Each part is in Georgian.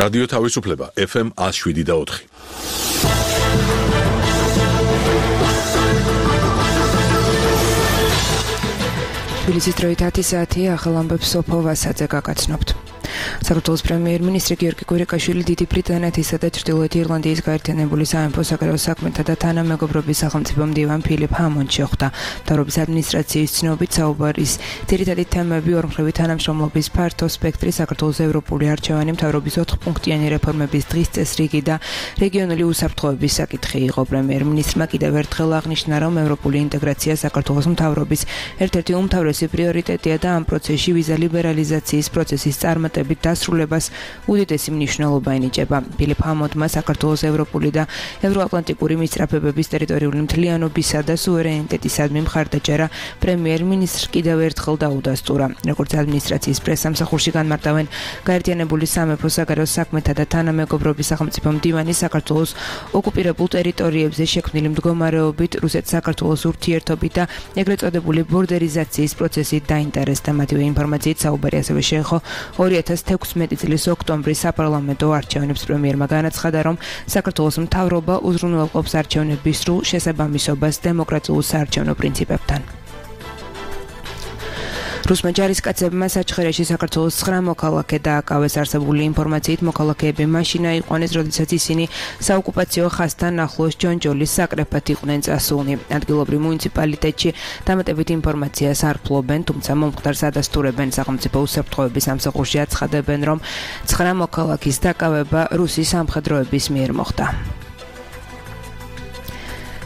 რადიო თავისუფლება FM 107.4. თბილისის დროით 10 საათი ახალ ამბებს სოფო ვასაძე გაგაცნობთ. საქართველოს პრემიერ-მინისტრი გიორგი კვირიკაშვილი დიდი ბრიტანეთისა და ჩრდილოეთ ირლანდიის გაერთიანებული სამეფო საკრებულო საქმეთა და თანამეგობრობის სახელმწიფო მდივან ფილიპ ჰამონდს შეხვდა. მთავრობის ადმინისტრაციის ცნობით საუბრის ძირითადი თემები ორმხრივი თანამშრომლობის ფართო სპექტრი, საქართველოს ევროპული არჩევანი, მთავრობის 4-პუნქტიანი რეფორმების დღის წესრიგი და რეგიონული უსაფრთხოების საკითხი იყო. პრემიერ-მინისტრმა კიდევ ერთხელ აღნიშნა, რომ ევროპული ინტეგრაცია საქართველოს მთავრობის ერთ-ერთი უმთავრესი პრიორიტეტია და ამ პროცესში ვიზა ლიბერალიზაციის პროცესის წარმატებით დასრულებას უდიდესი მნიშვნელობა ენიჭება. ფილიპ ჰამონდმა საქართველოს ევროპული და ევროატლანტიკური მისწრაფებების ტერიტორიული მთლიანობისა და სუვერენიტეტისადმი მხარდაჭერა პრემიერ-მინისტრს კიდევ ერთხელ დაუდასტურა. როგორც ადმინისტრაციის პრესსამსახურში განმარტავენ, გაერთიანებული სამეფო საკრებულო საქმეთა და თანამეგობრობის სახელმწიფო მდივანი საქართველოს ოკუპირებულ ტერიტორიებზე შექმნილი მდგომარეობით, რუსეთ-საქართველოს ურთიერთობით და ეგრეთ წოდებული ბორდერიზაციის პროცესით დაინტერესდა. მათივე ინფორმაციით საუბარი ასევე შეეხო 2016 წლის ოქტომბრის საპარლამენტო არჩევნებს. პრემიერმა განაცხადა, რომ საქართველოს მთავრობა უზრუნველყოფს არჩევნების სრულ შესაბამისობას დემოკრატიულ საარჩევნო პრინციპებთან. რუსმა ჯარისკაცებმა საჩხერეში საქართველოს 9 მოქალაქე დააკავეს. არსებული ინფორმაციით მოქალაქეები მაშინა იყვნენ, როდესაც ისინი საოკუპაციო ხაზთან ახლოს ჯონჯოლის საკრეფად იყვნენ წასულნი. ადგილობრივ მუნიციპალიტეტში დამატებით ინფორმაციას არ ფლობენ, თუმცა მომხდარს ადასტურებენ. სახელმწიფო უსაფრთხოების სამსახურში აცხადებენ, რომ 9 მოქალაქის დაკავება რუსის სამხედროების მიერ მოხდა.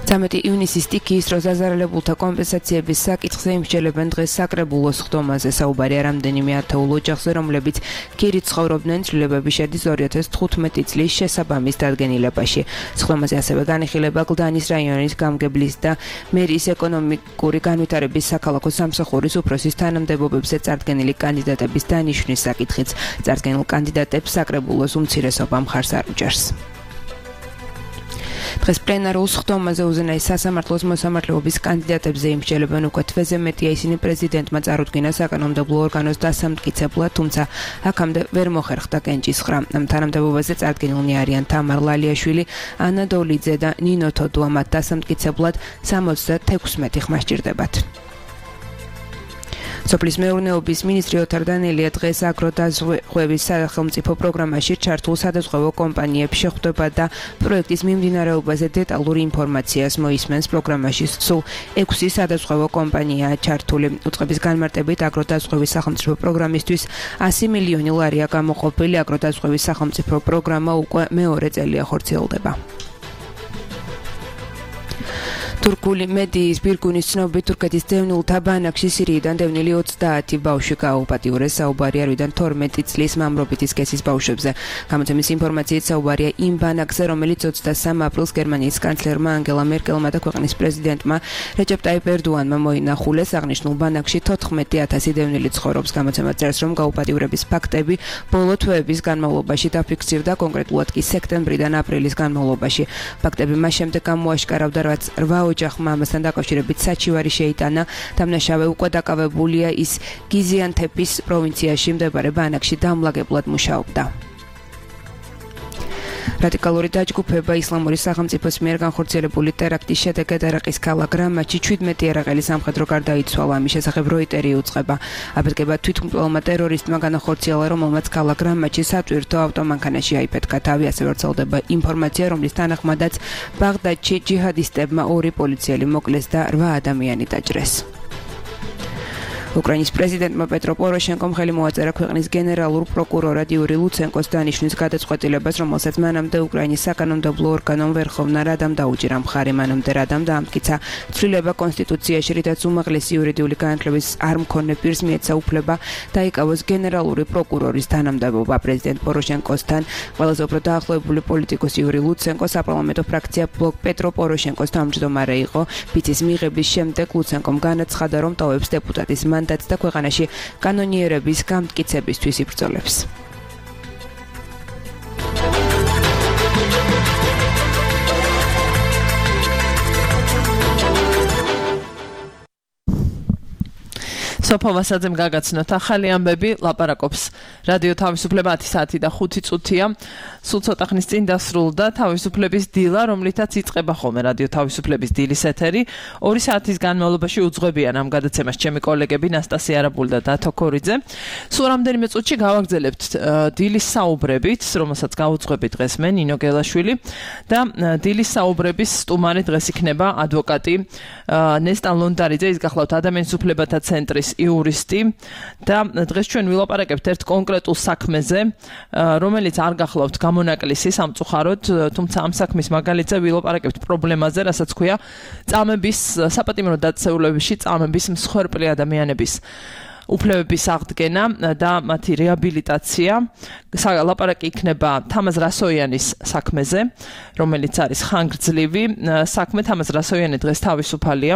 13 ივნისის სტიქიის დროს დაზარალებულთა კომპენსაციების საკითხზე იმსჯელებენ დღეს საკრებულოს ხდომაზე. საუბარია რამდენიმე ათეულ ოჯახზე, რომლებიც ქირით ცხოვრობდნენ. ცვლილებები შედის 2015 წლის შესაბამის დადგენილებაში. ხდომაზე ასევე განიხილება გლდანის რაიონის გამგებლის და მერის ეკონომიკური განვითარების საქალაქო სამსახურის უფროსის თანამდებობებზე წარდგენილი კანდიდატების დანიშვნის საკითხიც. წარდგენილ კანდიდატებს საკრებულოს უმცირესობა მხარს არ უჭერს. დღეს პლენარულ ხდომაზე უზენაეს სასამართლოს მოსამართლეობის კანდიდატებზე იმსჯელებენ. უკვე თვეზე მეტია ისინი პრეზიდენტმა წარუდგინა საკანონმდებლო ორგანოს დასამტკიცებლად, თუმცა აქამდე ვერ მოხერხდა კენჭისხრა. ამ თანამდებობაზე წარდგენილნი არიან თამარ ლალიაშვილი, ანა დოლიძე და ნინო თოდუა. მათ დასამტკიცებლად 76 ხმა სჭირდებათ. სოფლის მეურნეობის მინისტრი ოთარ დანელია დღეს აგროდაზღვევის სახელმწიფო პროგრამაში ჩართულ სადაზღვევო კომპანიებს შეხვდება და პროექტის მიმდინარეობაზე დეტალური ინფორმაციას მოისმენს. პროგრამაში სულ 6 სადაზღვევო კომპანიაა ჩართული. უწყების განმარტებით აგროდაზღვევის სახელმწიფო პროგრამისთვის 100 მილიონი ლარია გამოყოფილი. აგროდაზღვევის სახელმწიფო პროგრამა უკვე მეორე წელია ხორციელდება. თურქული მედიის ბირგუნის ცნობით თურქეთის დევნილთა ბანაკში სირიიდან დევნილი 30 ბავშვი გააუპატიურეს. საუბარია 12 წლის მამრობითი სქესის ბავშვებზე. გამოცემის ინფორმაციით საუბარია იმ ბანაკზე, რომელიც 23 აპრილს გერმანიის კანცლერმა ანგელა მერკელმა და ქვეყნის პრეზიდენტმა რეჯეპ ტაიპ ერდოანმა მოინახულეს. აღნიშნულ ბანაკში 14,000 დევნილი ცხოვრობს. გამოცემა წერს, რომ გაუპატიურების ფაქტები ბოლო თვეების განმავლობაში დაფიქსირდა, კონკრეტულად კი სექტემბრიდან აპრილის განმავლობაში. ფაქტები მას შემდეგ გამოაშკარავდა, რაც 8 ოჯახმა ამასთან დაკავშირებით საჩივარი შეიტანა. დამნაშავე უკვე დაკავებულია, ის გიზიანთეპის პროვინციაში მდებარე ბანაკში დამლაგებლად მუშაობდა. რადიკალური დაჯგუფება ისლამური სახელმწიფოს მიერ განხორციელებული ტერაქტის შედეგად ერაყის ქალაქ რამაჩი 17 ერაყელი სამხედრო გარდაიცვალა. ამის შესახებ როიტერი უწყება. აფეთქება თვითმკვლელმა ტერორისტმა განახორციელა, რომელმაც ქალაქ რამაჩის სატვირთო ავტომანქანაში აიფეთქა თავი. ასევე ვრცელდება ინფორმაცია, რომლის თანახმადაც ბაღდადში ჯიჰადისტებმა 2 პოლიციელი მოკლეს და 8 ადამიანი დაჭრეს. უკრაინის პრეზიდენტმა პეტრო პოროშენკომ ხელი მოაწერა ქვეყნის გენერალურ პროკურორად იური ლუცენკოს დანიშვნის გადაწყვეტილებას, რომელსაც მანამდე უკრაინის საკანონმდებლო ორგანომ ვერხოვნა რადამ დაუჭირა მხარი. მანამდე რადამ დაამტკიცა ცვლილება კონსტიტუციაში, რითაც უმაღლესი იურიდიული განათლების არ მქონე პირს მიეცა უფლება დაიკავოს გენერალური პროკურორის თანამდებობა. პრეზიდენტ პოროშენკოსთან ყველაზე უფრო დაახლოებული პოლიტიკოსი იური ლუცენკო საპარლამენტო ფრაქცია ბლოკ პეტრო პოროშენკოს თავმჯდომარე იყო. ფიცის მიღების შემდეგ ლუცენკომ განაცხადა, რომ ტოვებს დეპუტატის მანდატს და ქვეყანაში კანონიერების გამტკიცებისთვის იბრძოლებს. სოფო ვასაძემ გაგაცნოთ ახალი ამბები, ლაპარაკობს რადიო თავისუფლება 10 საათი და 5 წუთია. სულ ცოტა ხნის წინ დასრულდა თავისუფლების დილა, რომლითაც იწყება ხოლმე რადიო თავისუფლების დილის ეთერი. 2 საათის განმავლობაში უძღვებიან ამ გადაცემას ჩემი კოლეგები ნასტასია არაბული და დათო ქორიძე. სულ რამდენიმე წუთში გავაგრძელებთ დილის საუბრებით, რომელსაც გაუძღვები დღეს მე ნინო გელაშვილი და დილის საუბრების სტუმარი დღეს იქნება ადვოკატი ნესტან ლონდარიძე, ის გახლავთ ადამიანის უფლებათა ცენტრის იურისტი და დღეს ჩვენ ვილაპარაკებთ ერთ კონკრეტულ საქმეზე, რომელიც არ გახლავთ გამონაკლისი სამწუხაროდ, თუმცა ამ საქმის მაგალითზე ვილაპარაკებთ პრობლემაზე, რასაც ქვია წამების საპატიმრო დაწესებულებებში წამების მსხვერპლი ადამიანების უფლებების აღდგენა და მათი რეაბილიტაცია. ლაპარაკი იქნება თამაზ რასოიანის საქმეზე, რომელიც არის ხანგრძლივი საქმე. თამაზ რასოიანი დღეს თავისუფალია.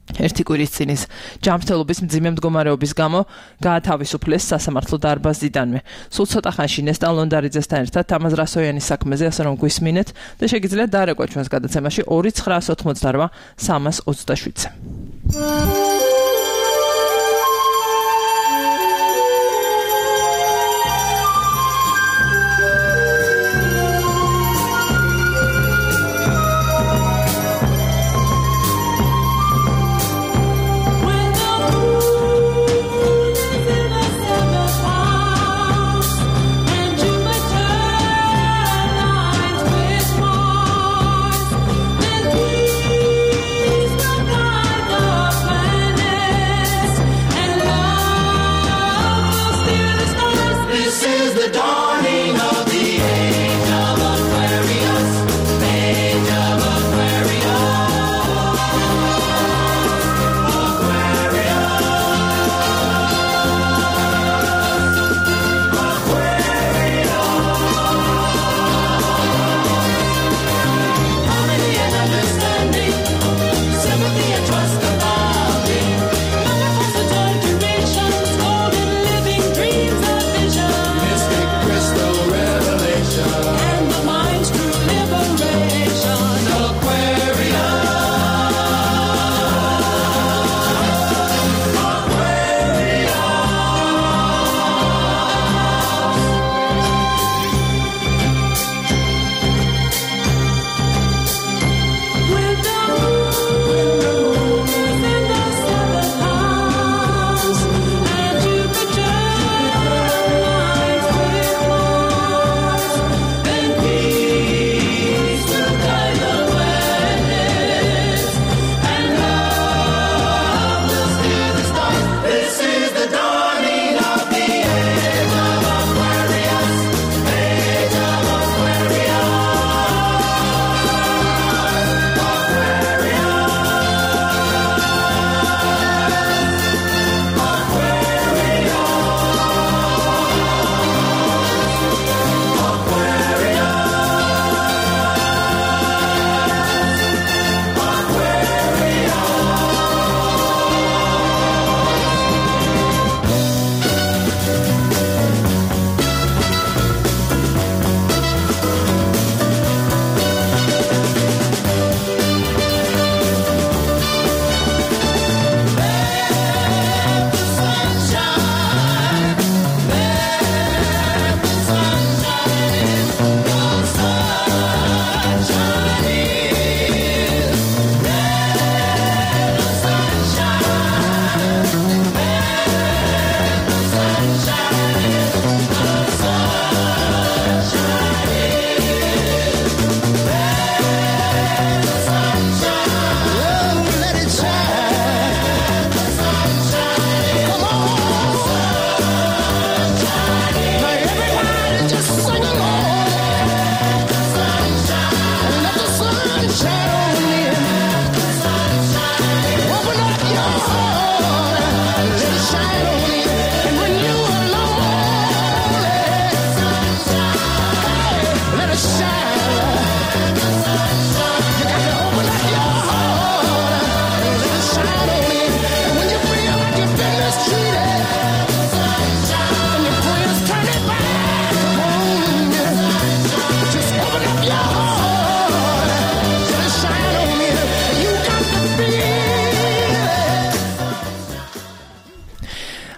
ერთი კვირის წინის ჯანმრთელობის მძიმე მდგომარეობის გამო გაათავისუფლეს სასამართლო დარბაზიდანვე. სულ ცოტა ხანში ნესტან ლონდარიძესთან ერთად თამაზ რასოიანის საქმეზე ასე რომ გვისმინეთ და შეგიძლიათ დარეკვა ჩვენს გადაცემაში 2988 327-ზე.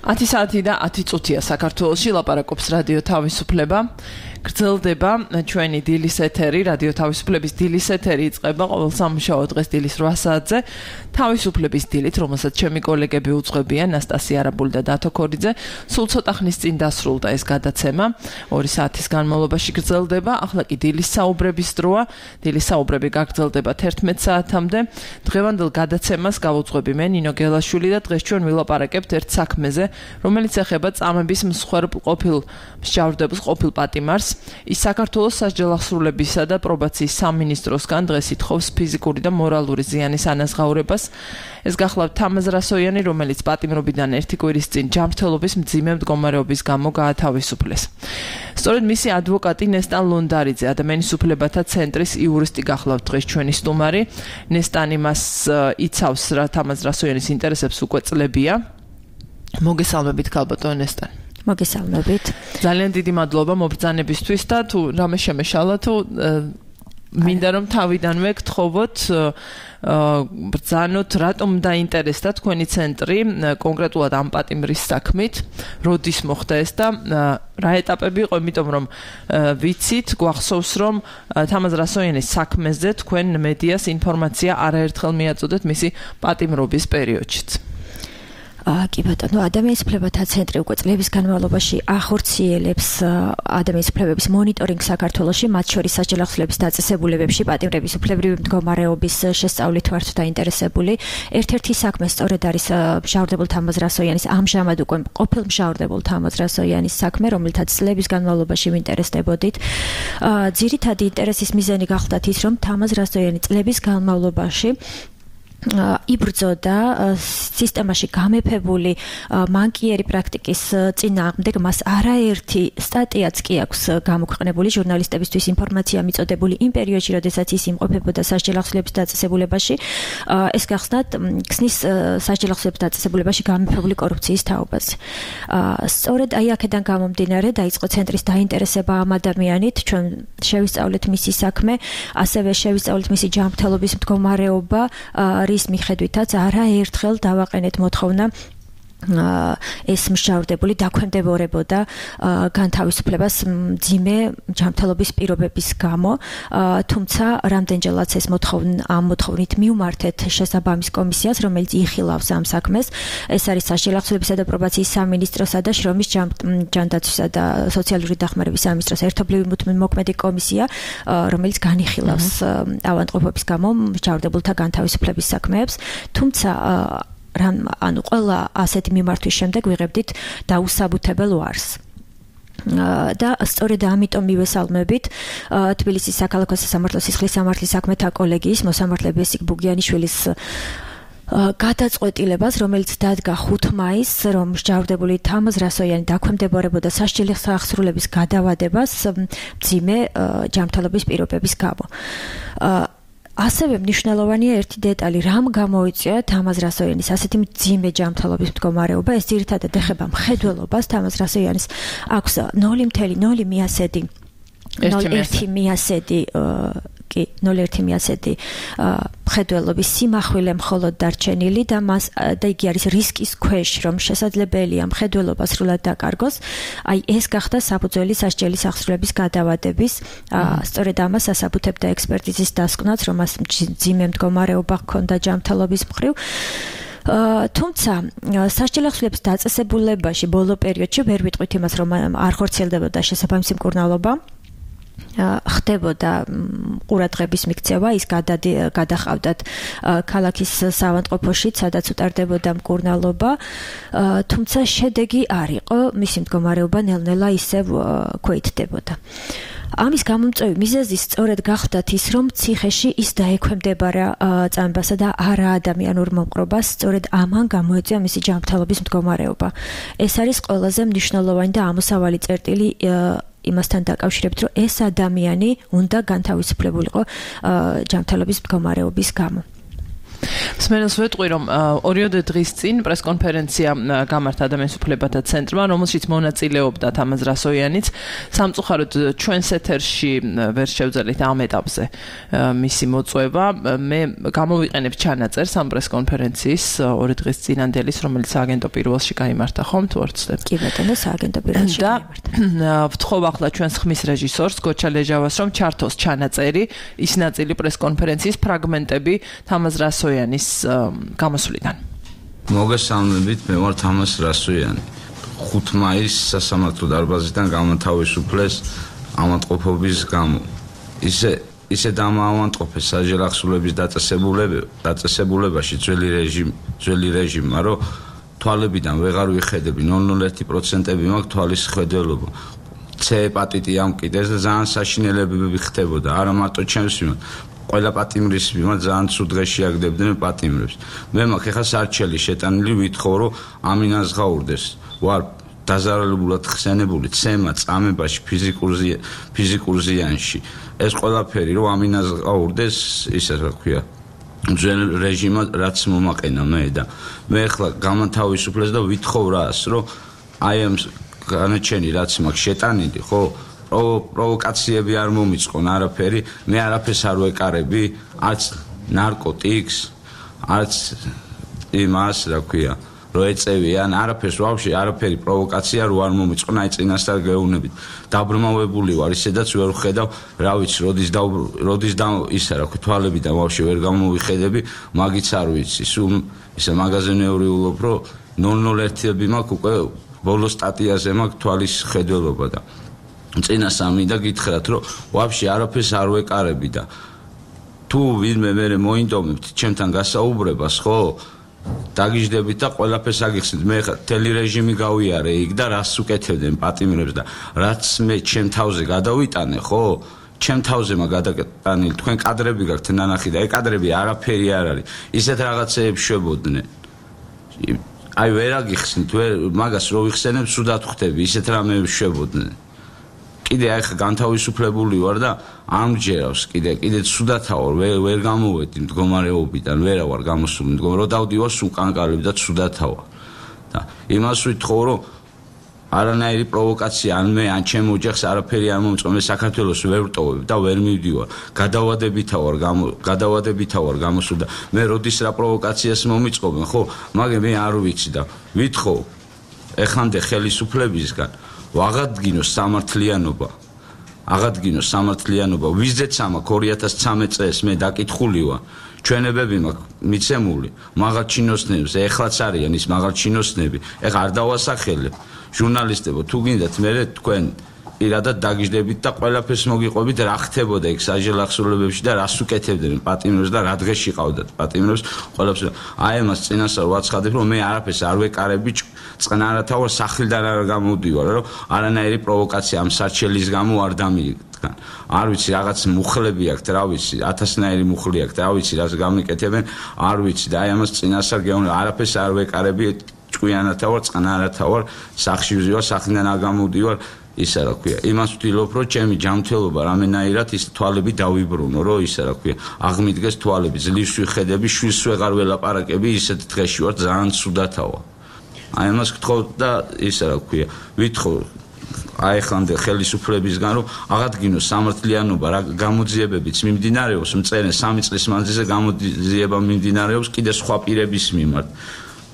10 საათი და 10 წუთია საქართველოში ლაპარაკობს რადიო თავისუფლება. გრძელდება ჩვენი დილის ეთერი, რადიო თავისუფლების დილის ეთერი იწყება ყოველ სამუშაო დღეს დილის 8 საათზე. თავისუფლების დილით, რომელსაც ჩემი კოლეგები უძღვებიან, ნასტასია არაბული და დათო ქორიძე, სულ ცოტა ხნის წინ დასრულდა ეს გადაცემა. 2 საათის განმავლობაში გრძელდება, ახლა კი დილის საუბრების დროა. დილის საუბრები გაგრძელდება 11 საათამდე. დღევანდელ გადაცემას გავუძღვები მე, ნინო გელაშვილი და დღეს ჩვენ ვილაპარაკებთ ერთ საქმეზე, რომელიც ეხება წამების მსხვერპლ ყოფილ მსჯავრდებულს, ყოფილ პატიმარს. ის საქართველოს სასჯელ აღსრულებისა და პრობაციის სამინისტროსგან დღეს ითხოვს ფიზიკური და მორალური ზიანის ანაზღაურებას. ეს გახლავთ თამაზ რასოიანი, რომელიც პატიმრობიდან 1 კვირის წინ ჯანმრთელობის მძიმე მდგომარეობის გამო გაათავისუფლეს. სწორედ მისი ადვოკატი ნესტან ლონდარიძე, ადამიანის უფლებათა ცენტრის იურისტი გახლავთ დღეს ჩვენი სტუმარი. ნესტანი მას იცავს რა თამაზ რასოიანის ინტერესებს უკვე წლებია. მოგესალმებით ქალბატონო ნესტანი. მოგესალმებით. ძალიან დიდი მადლობა მობრძანებისთვის და თუ რამე შემეშალა თუ მინდა რომ თავიდანვე გთხოვოთ ბრძანოთ რატომ დაინტერესდა თქვენი ცენტრი კონკრეტულად ამ პატიმრის საქმით, როდის მოხდა ეს და რა ეტაპები იყო, იმიტომ რომ ვიცით, გვახსოვს რომ თამაზ რასოიანის საქმეზე თქვენ მედიას ინფორმაცია არაერთხელ მიაწოდეთ მისი პატიმრობის პერიოდშიც. კი ბატონო, ადამიანის უფლებათა ცენტრი უკვე წლების განმავლობაში ახორციელებს ადამიანის უფლებების მონიტორინგს საქართველოში, მათ შორის სასჯელ აღსრულების დაწესებულებებში პატიმრების უფლებრივი მდგომარეობის შესწავლით ვართ დაინტერესებული. ერთ-ერთი საქმე სწორედ არის მჟავრდებულ თამაზ რასოიანის, ამჟამად უკვე ყოფილ მჟავრდებულ თამაზ რასოიანის საქმე, რომელთაც წლების განმავლობაში ვინტერესდებოდით. ძირითადი ინტერესის მიზანი გახლდათ ის, რომ თამაზ რასოიანი წლების განმავლობაში იბრძოდა სისტემაში გამეფებული მანკიერი პრაქტიკის წინააღმდეგ. მას არაერთი სტატიაც კი აქვს გამოქვეყნებული ჟურნალისტებისთვის ინფორმაცია მიწოდებული იმ პერიოდში, როდესაც ის იმყოფებოდა სასჯელ აღსრულების დაწესებულებაში. ეს გახსნათ ქსნის სასჯელ აღსრულების დაწესებულებაში გამეფებული კორუფციის თაობაზე. სწორედ აი აქედან გამომდინარე დაიწყო ცენტრის დაინტერესება ამ ადამიანით. ჩვენ შევისწავლეთ მისი საქმე, ასევე შევისწავლეთ მისი ჯანმრთელობის მდგომარეობა, რის მიხედვითაც არაერთხელ დავაყენეთ მოთხოვნა ეს მსჯავრდებული დაქვემდებარებოდა განთავისუფლებას მძიმე ჯანმრთელობის პირობების გამო, თუმცა რამდენჯერაც ეს ამ მოთხოვნით მივმართეთ შესაბამის კომისიას, რომელიც იხილავს ამ საქმეს. ეს არის სასჯელ აღსრულებისა და პრობაციის სამინისტროსა და შრომის ჯანდაცვისა და სოციალური დახმარების სამინისტროს ერთობლივი მოქმედი კომისია, რომელიც განიხილავს ავადმყოფობის გამო მსჯავრდებულთა განთავისუფლების საქმეებს. თუმცა ანუ ყველა ასეთი მიმართვის შემდეგ ვიღებდით დაუსაბუთებელ ვარს. და სწორედ ამიტომ მივესალმებით თბილისის საქალაქო სასამართლო სისხლის სამართლის საქმეთა კოლეგიის მოსამართლე ბესიკ ბუგიანიშვილის გადაწყვეტილებას, რომელიც დადგა 5 მაისს, რომ მსჯავრდებული თამაზ რასოიანი დაქვემდებარებოდა სასჯელი აღსრულების გადავადებას მძიმე ჯანმრთელობის პირობების გამო. ასევე მნიშვნელოვანია ერთი დეტალი, რამ გამოიწვია თამაზ რასოიანის ასეთი მძიმე ჯანმრთელობის მდგომარეობა. ეს ძირითადად ეხება მხედველობას. თამაზ რასოიანის აქვს 0.0 მიასედი 0.1 მიასედი მხედველობის სიმახვილე მხოლოდ დარჩენილი და იგი არის რისკის ქვეშ, რომ შესაძლებელია მხედველობა სრულად დაკარგოს. აი ეს გახდა საფუძველი სასჯელის აღსრულების გადავადების. სწორედ ამას ასაბუთებდა ექსპერტიზის დასკვნაც, რომ მას მძიმე მდგომარეობა ჰქონდა ჯანმრთელობის მხრივ. თუმცა სასჯელ აღსრულების დაწესებულებაში ბოლო პერიოდში ვერ ვიტყვით იმას, რომ არ ხორციელდებოდა შესაბამისი მკურნალობა. ხდებოდა ყურადღების მიქცევა, ის გადახავდათ ქალაქის საავადმყოფოში, სადაც უტარდებოდა მკურნალობა, თუმცა შედეგი არ იყო, მისი მდგომარეობა ნელ-ნელა ისევ ქვეითდებოდა. ამის გამომწვევი მიზეზი სწორედ გახდათ ის, რომ ციხეში ის დაექვემდებარა წამებასა და არა ადამიანურ მომყრობას, სწორედ ამან გამოიწვია მისი ჯანმრთელობის მდგომარეობა. ეს არის ყველაზე მნიშვნელოვანი და ამოსავალი წერტილი იმასთან დაკავშირებით, რომ ეს ადამიანი უნდა განთავისუფლებულიყო ჯანმრთელობის მდგომარეობის გამო. მსმენელს ვეტყვი, რომ 2 დღის წინ პრესკონფერენცია გამართა ადამიანის უფლებათა ცენტრმა, რომელშიც მონაწილეობდა თამაზ რასოიანიც. სამწუხაროდ ჩვენს ეთერში ვერ შევძელით ამ ეტაპზე მისი მოწვევა. მე გამოვიყენებ ჩანაწერს ამ პრესკონფერენციის 2 დღის წინანდელის, რომელიც სააგენტო პირველში გაიმართა, ხომ თუ არ ვცდები? კი ბატონო, სააგენტო პირველში გაიმართა. ვთხოვ ახლა ჩვენს ხმის რეჟისორს გოჩა ლეჟავას, რომ ჩართოს ჩანაწერი, ის ნაწილი პრესკონფერენციის ფრაგმენტები თამაზ რასოიანის გამოსვლიდან. მოგესალმებით, მე ვარ თამაზ რასოიანი. 5 მაისს სასამართლო დარბაზიდან გამოთავისუფლეს ავადმყოფობის გამო. ისე დამაავადმყოფეს საჯელახსოვრების დაწესებულებაში ძველი რეჟიმმა, რომ თვალებიდან ვეღარ ვიხედები 0.01% მაქვს თვალის ხედველობა. C ჰეპატიტი ამ კიდეს და ძალიან საშინელებები ხდებოდა, არა მარტო ჩემს მიმართ, ყველა პატიმრის მიმართ ძალიან ცუდ დღეში აგდებდნენ პატიმრებს. მე მაქვს ეხა სარჩელი შეტანილი, ვითხოვ რომ ამინაზღაურდეს. ვარ დაზარალებულად ხსენებული ცემა წამებაში ფიზიკურ ზიანში. ეს ყველაფერი რომ ამინაზღაურდეს, ისე რა ქვია, ძველ რეჟიმად რაც მომაყენა მე და მე ახლა გამათავისუფლეს და ვითხოვ რას, რომ აი ამ განაჩენი რაც მაქვს შეტანილი, ხო? პროვოკაციები არ მომიწყონ არაფერი, მე არაფერს არ ვეკარები, არც ნარკოტიკს, არც იმას, რა ქვია, რო ეწევიან, არაფერს ვაფშე, არაფერი პროვოკაცია რო არ მომიწყონ, აი წინასწარ გეუბნებით. დაბრმავებული ვარ, ისედაც ვერ ვხედავ, რა ვიცი, როდის ისა, რა ქვია, თვალებიდან ვაფშე ვერ გამოვიხედები, მაგიც არ ვიცი. სულ ისა მაღაზინეური ულობ, რომ 0.01 მაქვს უკვე ბოლო სტატიაზე მაქვს თვალის ხედველობა და წინა სამი და გითხრათ, რომ ვაფშე არაფერს არ ვეკარები და თუ ვინმე მე მოინდომებთ ჩემთან გასაუბრებას, ხო? დაგიждებით და ყველაფერს აგიხსნით. მე ხა ტელერეჟიმი გავიარე იქ და რას უკეთებდნენ პატიმრებს და რაც მე ჩემ თავზე გადავიტანე, ხო? ჩემ თავზე მაგადაკეტანილი თქვენ კადრები გაქვთ ნანახი და ეგ კადრები არაფერი არ არის. ისეთ რაღაცეებს შვებოდნენ. აი ვერ აგიხსნით, მაგას რო ვიხსენებ, სუდად ხვდები, ისეთ რამეებს შვებოდნენ. კიდე აი ხა განთავისუფლებული ვარ და ამჯერავს კიდე ცუდათა ვარ, ვერ გამოვედი მდგომარეობიდან, ვერა ვარ გამოსული მდგომარე, რომ დავდივარ სულ კანკარები და ცუდათა ვარ. და იმას ვითხოვ, რომ არანაირი პროვოკაცია ან მე ან ჩემ ოჯახს არაფერი არ მომწონს, მე საქართველოს ვერ ვტოვებ და ვერ მივდივარ. გადავადებითა ვარ გამოსული და მე როდის რა პროვოკაციას მომიწყობენ, ხო? მაგრამ მე არ ვიცი და ვითხოვ ეხამდე ხელისუფლებისგან ვაღადგინოს სამართლიანობა, ვიზეც ამაქვს 2013 წელს მე დაკითხული ვარ. ჩვენებები მაქვს მიცემული მაღალ ჩინოსნებს, ეხლაც არიან ის მაღალ ჩინოსნები, ეხლა არ დავასახელებ. ჟურნალისტებო, თუ გინდათ მე თქვენ პირადად დაგიждებით და ყველაფერს მოგიყვებით რა ხდებოდა იქ საჯელახსოვრებებში და რას უკეთებდნენ პატიმრებს და რა დღეში ყავდათ პატიმრებს ყველაფერს. აი ამას წინასწარ ვაცხადებ, რომ მე არაფერს არ ვეკარები, წყნარათა ვარ, სახლიდან არ გამოვდივარ, რომ არანაირი პროვოკაცია ამ სარჩელის გამო არ დამიდგან. არ ვიცი, რაღაც მუხლები აქვთ, რა ვიცი, 1000-ნაირი მუხლი აქვთ, რა ვიცი, რას გამიკეთებენ, არ ვიცი და აი ამას წინასწარ გეუბნები, არაფერს არ ვეკარები, ჭკვიანათა ვარ, წყნარათა ვარ, სახლში ვზივარ, სახლიდან არ გამოვდივარ. ისა რა ქვია, იმას ვთვლობ, რომ ჩემი ჯანმრთელობა რამენაირად ის თვალები დავიბრუნო, რომ ისა რა ქვია, აღმიდგეს თვალები, ძლივს ვიხედები, შვილს ვეღარ ველაპარაკები, ისეთ დღეში ვარ, ძალიან ცუდათავა. აი ამას გთხოვ და ისა რა ქვია, ვითხოვ აი ხანდე ხელისუფლებისგან, რომ აღადგინოს სამართლიანობა, რა გამოძიებებიც მიმდინარეობს, მწერენ 3 წლის მანძილზე გამოძიება მიმდინარეობს კიდე სხვა პირების მიმართ.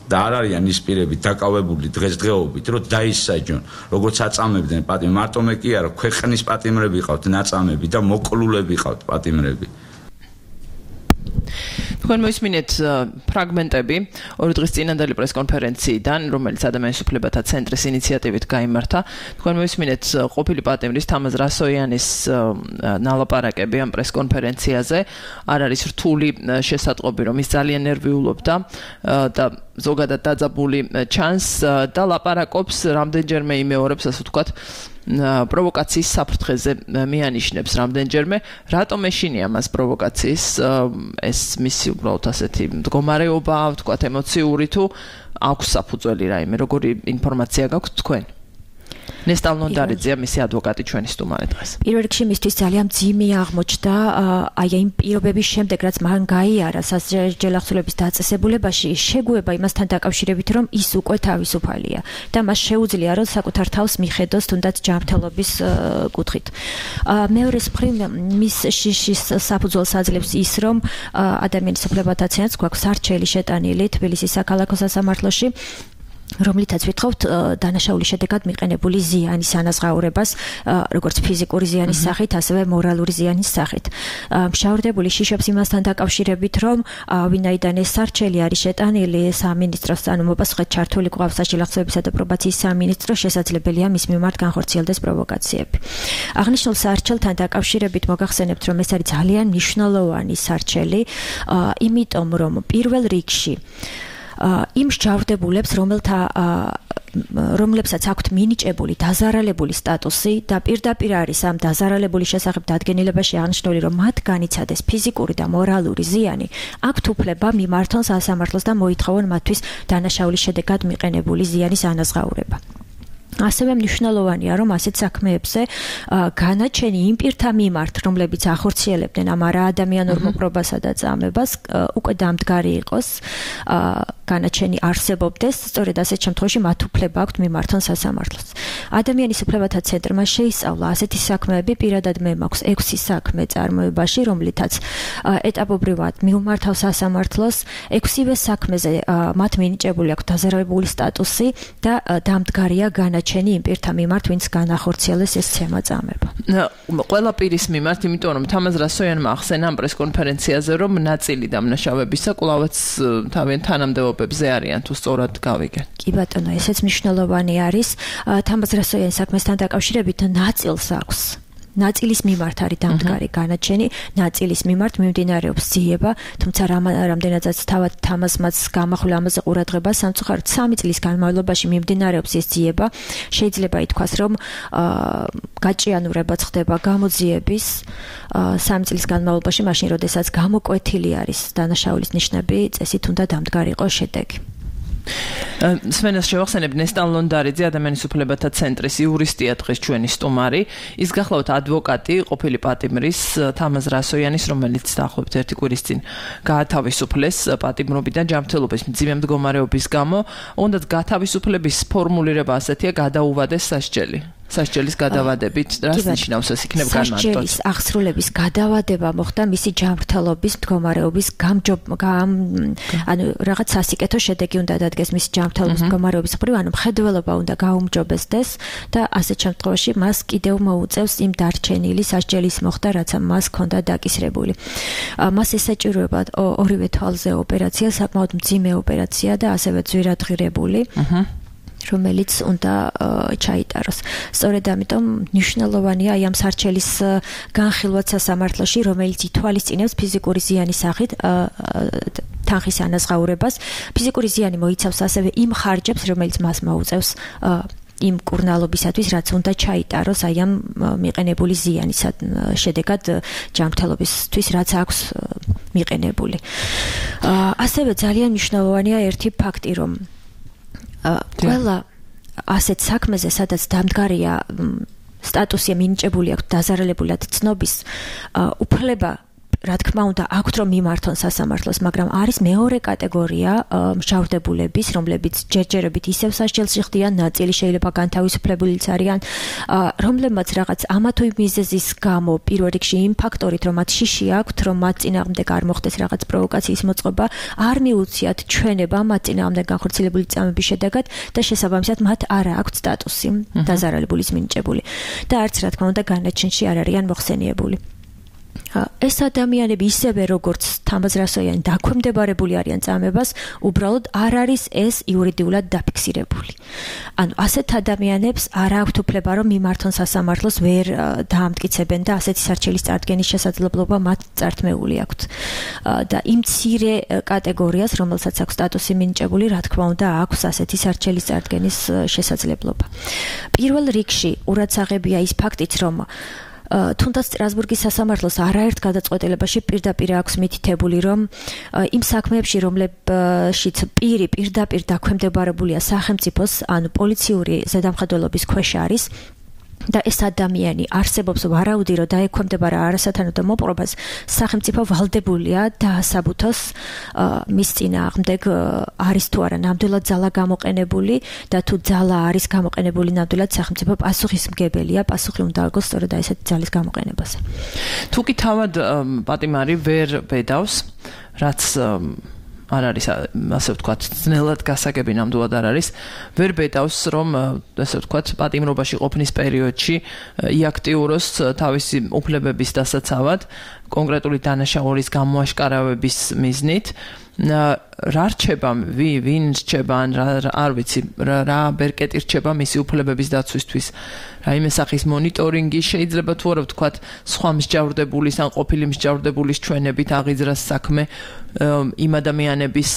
და არ არიან ის პირები დაკავებული დღესდღეობით, რომ დაისაჯონ, როგორც აწამებდნენ პატიმრები, მარტო მე კი არა, ქვეყნის პატიმრები ყავთ, ნაწამები და მოკლულები ყავთ პატიმრები. თქვენ მოისმინეთ ფრაგმენტები 2 დღის წინანდელი პრესკონფერენციიდან, რომელიც ადამიანის უფლებათა ცენტრის ინიციატივით გაიმართა. თქვენ მოისმინეთ ყოფილი პატიმრის თამაზ რასოიანის ნალაპარაკები ამ პრესკონფერენციაზე. არ არის რთული შესატყობი, რომ ის ძალიან ნერვიულობდა და ზოგადად დაძაბული ჩანს და ლაპარაკობს რამდენჯერმე იმეორებს, ასე ვთქვათ, პროვოკაციის საფრთხეზე მიანიშნებს რამდენჯერმე. რატომ ეშინია მას პროვოკაციის ეს მისი უბრალოდ ასეთი მდგომარეობა, ვთქვათ, ემოციური თუ აქვს საფუძველი რაიმე, როგორი ინფორმაცია გაქვთ თქვენ? ნესტალ ნონდარიძეა მისი ადვოკატი ჩვენი სტუმარი დღეს. პირველ რიგში მისთვის ძალიან მძიმე აღმოჩნდა აი იმ პირობების შემდეგ, რაც მან გაიარა სასჯელახსოვრების დაწესებულებაში, შეგუება იმასთან დაკავშირებით, რომ ის უკვე თავისუფალია და მას შეუძლია რომ საკუთარ თავს მიხედოს თუნდაც ჯანმრთელობის კუთხით. მეორეს მხრივ მის შიშის საფუძველს აძლევს ის, რომ ადამიანის უფლებათა ცენტრს გვაქვს სარჩელი შეტანილი თბილისის საქალაქო სასამართლოში, რომლითაც ვითხოვთ დანაშაულის შედეგად მიყენებული ზიანის ანაზღაურებას, როგორც ფიზიკური ზიანის სახით, ასევე მორალური ზიანის სახით. მშავრდებული შიშობს იმასთან დაკავშირებით, რომ ვინაიდან ეს სარჩელი არის შეტანილი სამინისტროს, ანუ მოპასუხედ ჩართული გვყავს სასჯელახსოვრებისა და პრობაციის სამინისტრო, შესაძლებელია მის მიმართ განხორციელდეს პროვოკაციები. აღნიშნულ სარჩელთან დაკავშირებით მოგახსენებთ, რომ ეს არის ძალიან მნიშვნელოვანი სარჩელი, იმიტომ რომ პირველ რიგში იმ მსჯავრდებულებს, რომლებსაც აქვთ მინიჭებული დაზარალებული სტატუსი და პირდაპირ არის ამ დაზარალებული შესახებ დადგენილებაში აღნიშნული, რომ მათ განიცადეს ფიზიკური და მორალური ზიანი, აქვთ უფლება მიმართონ სასამართლოს და მოითხოვონ მათთვის დანაშაულის შედეგად მიყენებული ზიანის ანაზღაურება. ასევე მნიშვნელოვანია, რომ ასეთ საქმეებზე განაჩენი იმ პირთა მიმართ, რომლებიც ახორციელებდნენ ამ არაადამიანურ მოპყრობასა და წამებას, უკვე დამდგარი იყოს, განაჩენი არსებობდეს, სწორედ ასეთ შემთხვევაში მათ უფლება აქვთ მიმართონ სასამართლოს. ადამიანის უფლებათა ცენტრმა შეისწავლა ასეთი საქმეები, პირადად მე მაქვს 6 საქმე წარმოებაში, რომლითაც ეტაპობრივად მიუმართავს სასამართლოს, 6-ვე საქმეზე მათ მინიჭებული აქვს დაზარალებული სტატუსი და დამდგარია განაჩენი იმ პირთა მიმართ, ვინც განახორციელეს ეს ცემა-წამება. ყველა პირის მიმართ, იმიტომ რომ თამაზ რასოიანმა ახსენა ამ პრესკონფერენციაზე, რომ ნაწილი დამნაშავებისა კვლავაც თავიანთ თანამდებობებზე არიან, თუ სწორად გავიგე. კი ბატონო, ესეც მნიშვნელოვანი არის. თამაზ რასოიანის საქმესთან დაკავშირებით ნაწილს აქვს. ნაწილის მიმართ არის დამდგარი განაჩენი, ნაწილის მიმართ მიმდინარეობს ძიება, თუმცა რამდენადაც თავად თამაზმაც გამახვილ ამაზე ყურადღება, სამწუხაროდ 3 წლის განმავლობაში მიმდინარეობს ეს ძიება. შეიძლება ითქვას, რომ გაჭიანურებაც ხდება გამოძიების 3 წლის განმავლობაში, მაშინ როდესაც გამოკვეთილი არის დანაშაულის ნიშნები, წესით უნდა დამდგარი იყოს შედეგი. სვენას შევახსენებ ნესტალ ნონდარიძე ადამიანის უფლებათა ცენტრის იურისტია დღეს ჩვენი სტუმარი. ის გახლავთ ადვოკატი ყოფილი პატიმრის თამაზ რასოიანის, რომელიც დაახლოებით 1 კვირის წინ გაათავისუფლეს პატიმრობიდან ჯანმრთელობის მძიმე მდგომარეობის გამო. უნდათ გათავისუფლების ფორმულირება ასეთია, გადაუვადეს სასჯელი. სასჯელის გადავადებით რას ნიშნავს ეს იქნებ განმარტოთ? სასჯელის აღსრულების გადავადება მოხდა მისი ჯანმრთელობის მდგომარეობის ანუ რაღაც სასიკეთო შედეგი უნდა დადგეს მისი ჯანმრთელობის მდგომარეობის მხრივ, ანუ მხედველობა უნდა გაუმჯობესდეს და ასეთ შემთხვევაში მას კიდევ მოუწევს იმ დარჩენილი სასჯელის მოხდა, რაც მას ჰქონდა დაკისრებული. მას ესაჭიროება ორივე თვალზე ოპერაცია, საკმაოდ მძიმე ოპერაცია და ასევე ძვირადღირებული. რომელიც უნდა ჩაიტაროს. სწორედ ამიტომ მნიშვნელოვანია ამ სარჩელის განხილვაც სასამართლოში, რომელიც ითვალისწინებს ფიზიკური ზიანის სახით თანხის ანაზღაურებას. ფიზიკური ზიანი მოიცავს ასევე იმ ხარჯებს, რომელიც მას მოუწევს იმ კურნალობისათვის, რაც უნდა ჩაიტაროს აი ამ მიყენებული ზიანის შედეგად ჯანმრთელობისთვის, რაც აქვს მიყენებული. ასევე ძალიან მნიშვნელოვანია ერთი ფაქტი, რომ ყველა ასეთ საქმეზე, სადაც დამდგარია სტატუსი მინიჭებული აქვს დაზარალებულად ცნობის, უფლება რა თქმა უნდა აქვთ რომ მიმართონ სასამართლოს, მაგრამ არის მეორე კატეგორია მსჯავრდებულების, რომლებიც ჯერჯერობით ისევ სასჯელში ხდიან, ნაწილი შეიძლება განთავისუფლებულიც არიან, რომლებმაც რაღაც ამა თუ იმ მიზეზის გამო, პირველ რიგში იმ ფაქტორით, რომ მათ შიში აქვთ, რომ მათ წინააღმდეგ არ მოხდეს რაღაც პროვოკაციის მოწყობა, არ მიუციათ ჩვენება მათ წინააღმდეგ განხორციელებული წამების შედეგად და შესაბამისად მათ არ აქვთ სტატუსი დაზარალებულის მინიჭებული და არც რა თქმა უნდა განაჩენში არ არიან მოხსენიებული. ეს ადამიანები ისევე როგორც თამაზ რასოიანი დაქვემდებარებული არიან წამებას, უბრალოდ არ არის ეს იურიდიულად დაფიქსირებული. ანუ ასეთ ადამიანებს არ აქვთ უფლება რომ მიმართონ სასამართლოს, ვერ დაამტკიცებენ და ასეთი სარჩელის წარდგენის შესაძლებლობა მათ წართმეული აქვთ. და იმ მცირე კატეგორიას, რომელსაც აქვს სტატუსი მინიჭებული, რა თქმა უნდა, აქვს ასეთი სარჩელის წარდგენის შესაძლებლობა. პირველ რიგში ყურადსაღებია ის ფაქტიც, რომ თუნდაც სტრასბურგის სასამართლოს არაერთ გადაწყვეტილებაში პირდაპირ აქვს მითითებული, რომ იმ საქმეებში, რომლებშიც პირი პირდაპირ დაქვემდებარებულია სახელმწიფოს, ანუ პოლიციური ზედამხედველობის ქვეშ არის და ეს ადამიანი არსებობს ვარაუდი, რომ დაექვემდებარა არასათანადო მოპყრობას, სახელმწიფო ვალდებულია დაასაბუთოს მის წინააღმდეგ არის თუ არა ნამდვილად ძალა გამოყენებული და თუ ძალა არის გამოყენებული ნამდვილად, სახელმწიფო პასუხისმგებელია, პასუხი უნდა აგოს სწორედ ესეთი ძალის გამოყენებაზე. თუ კი თავად პატიმარი ვერ ბედავს, რაც არ არის ასე ვთქვათ, ძნელად გასაგები ნამდვილად არ არის, ვერ ბედავს, რომ ასე ვთქვათ, პატიმრობაში ყოფნის პერიოდში იაქტიუროს თავისი უფლებების დასაცავად, კონკრეტული დანაშაულის გამოაშკარავების მიზნით, რა რჩება, ვინ რჩება, არ ვიცი, რა ბერკეტი რჩება მისი უფლებების დაცვისთვის. რაიმე სახის მონიტორინგი შეიძლება თუ არა ვთქვათ, სხვა მსჯავრდებულის ან ყოფილი მსჯავრდებულის ჩვენებით აღიძრას საქმე იმ ადამიანების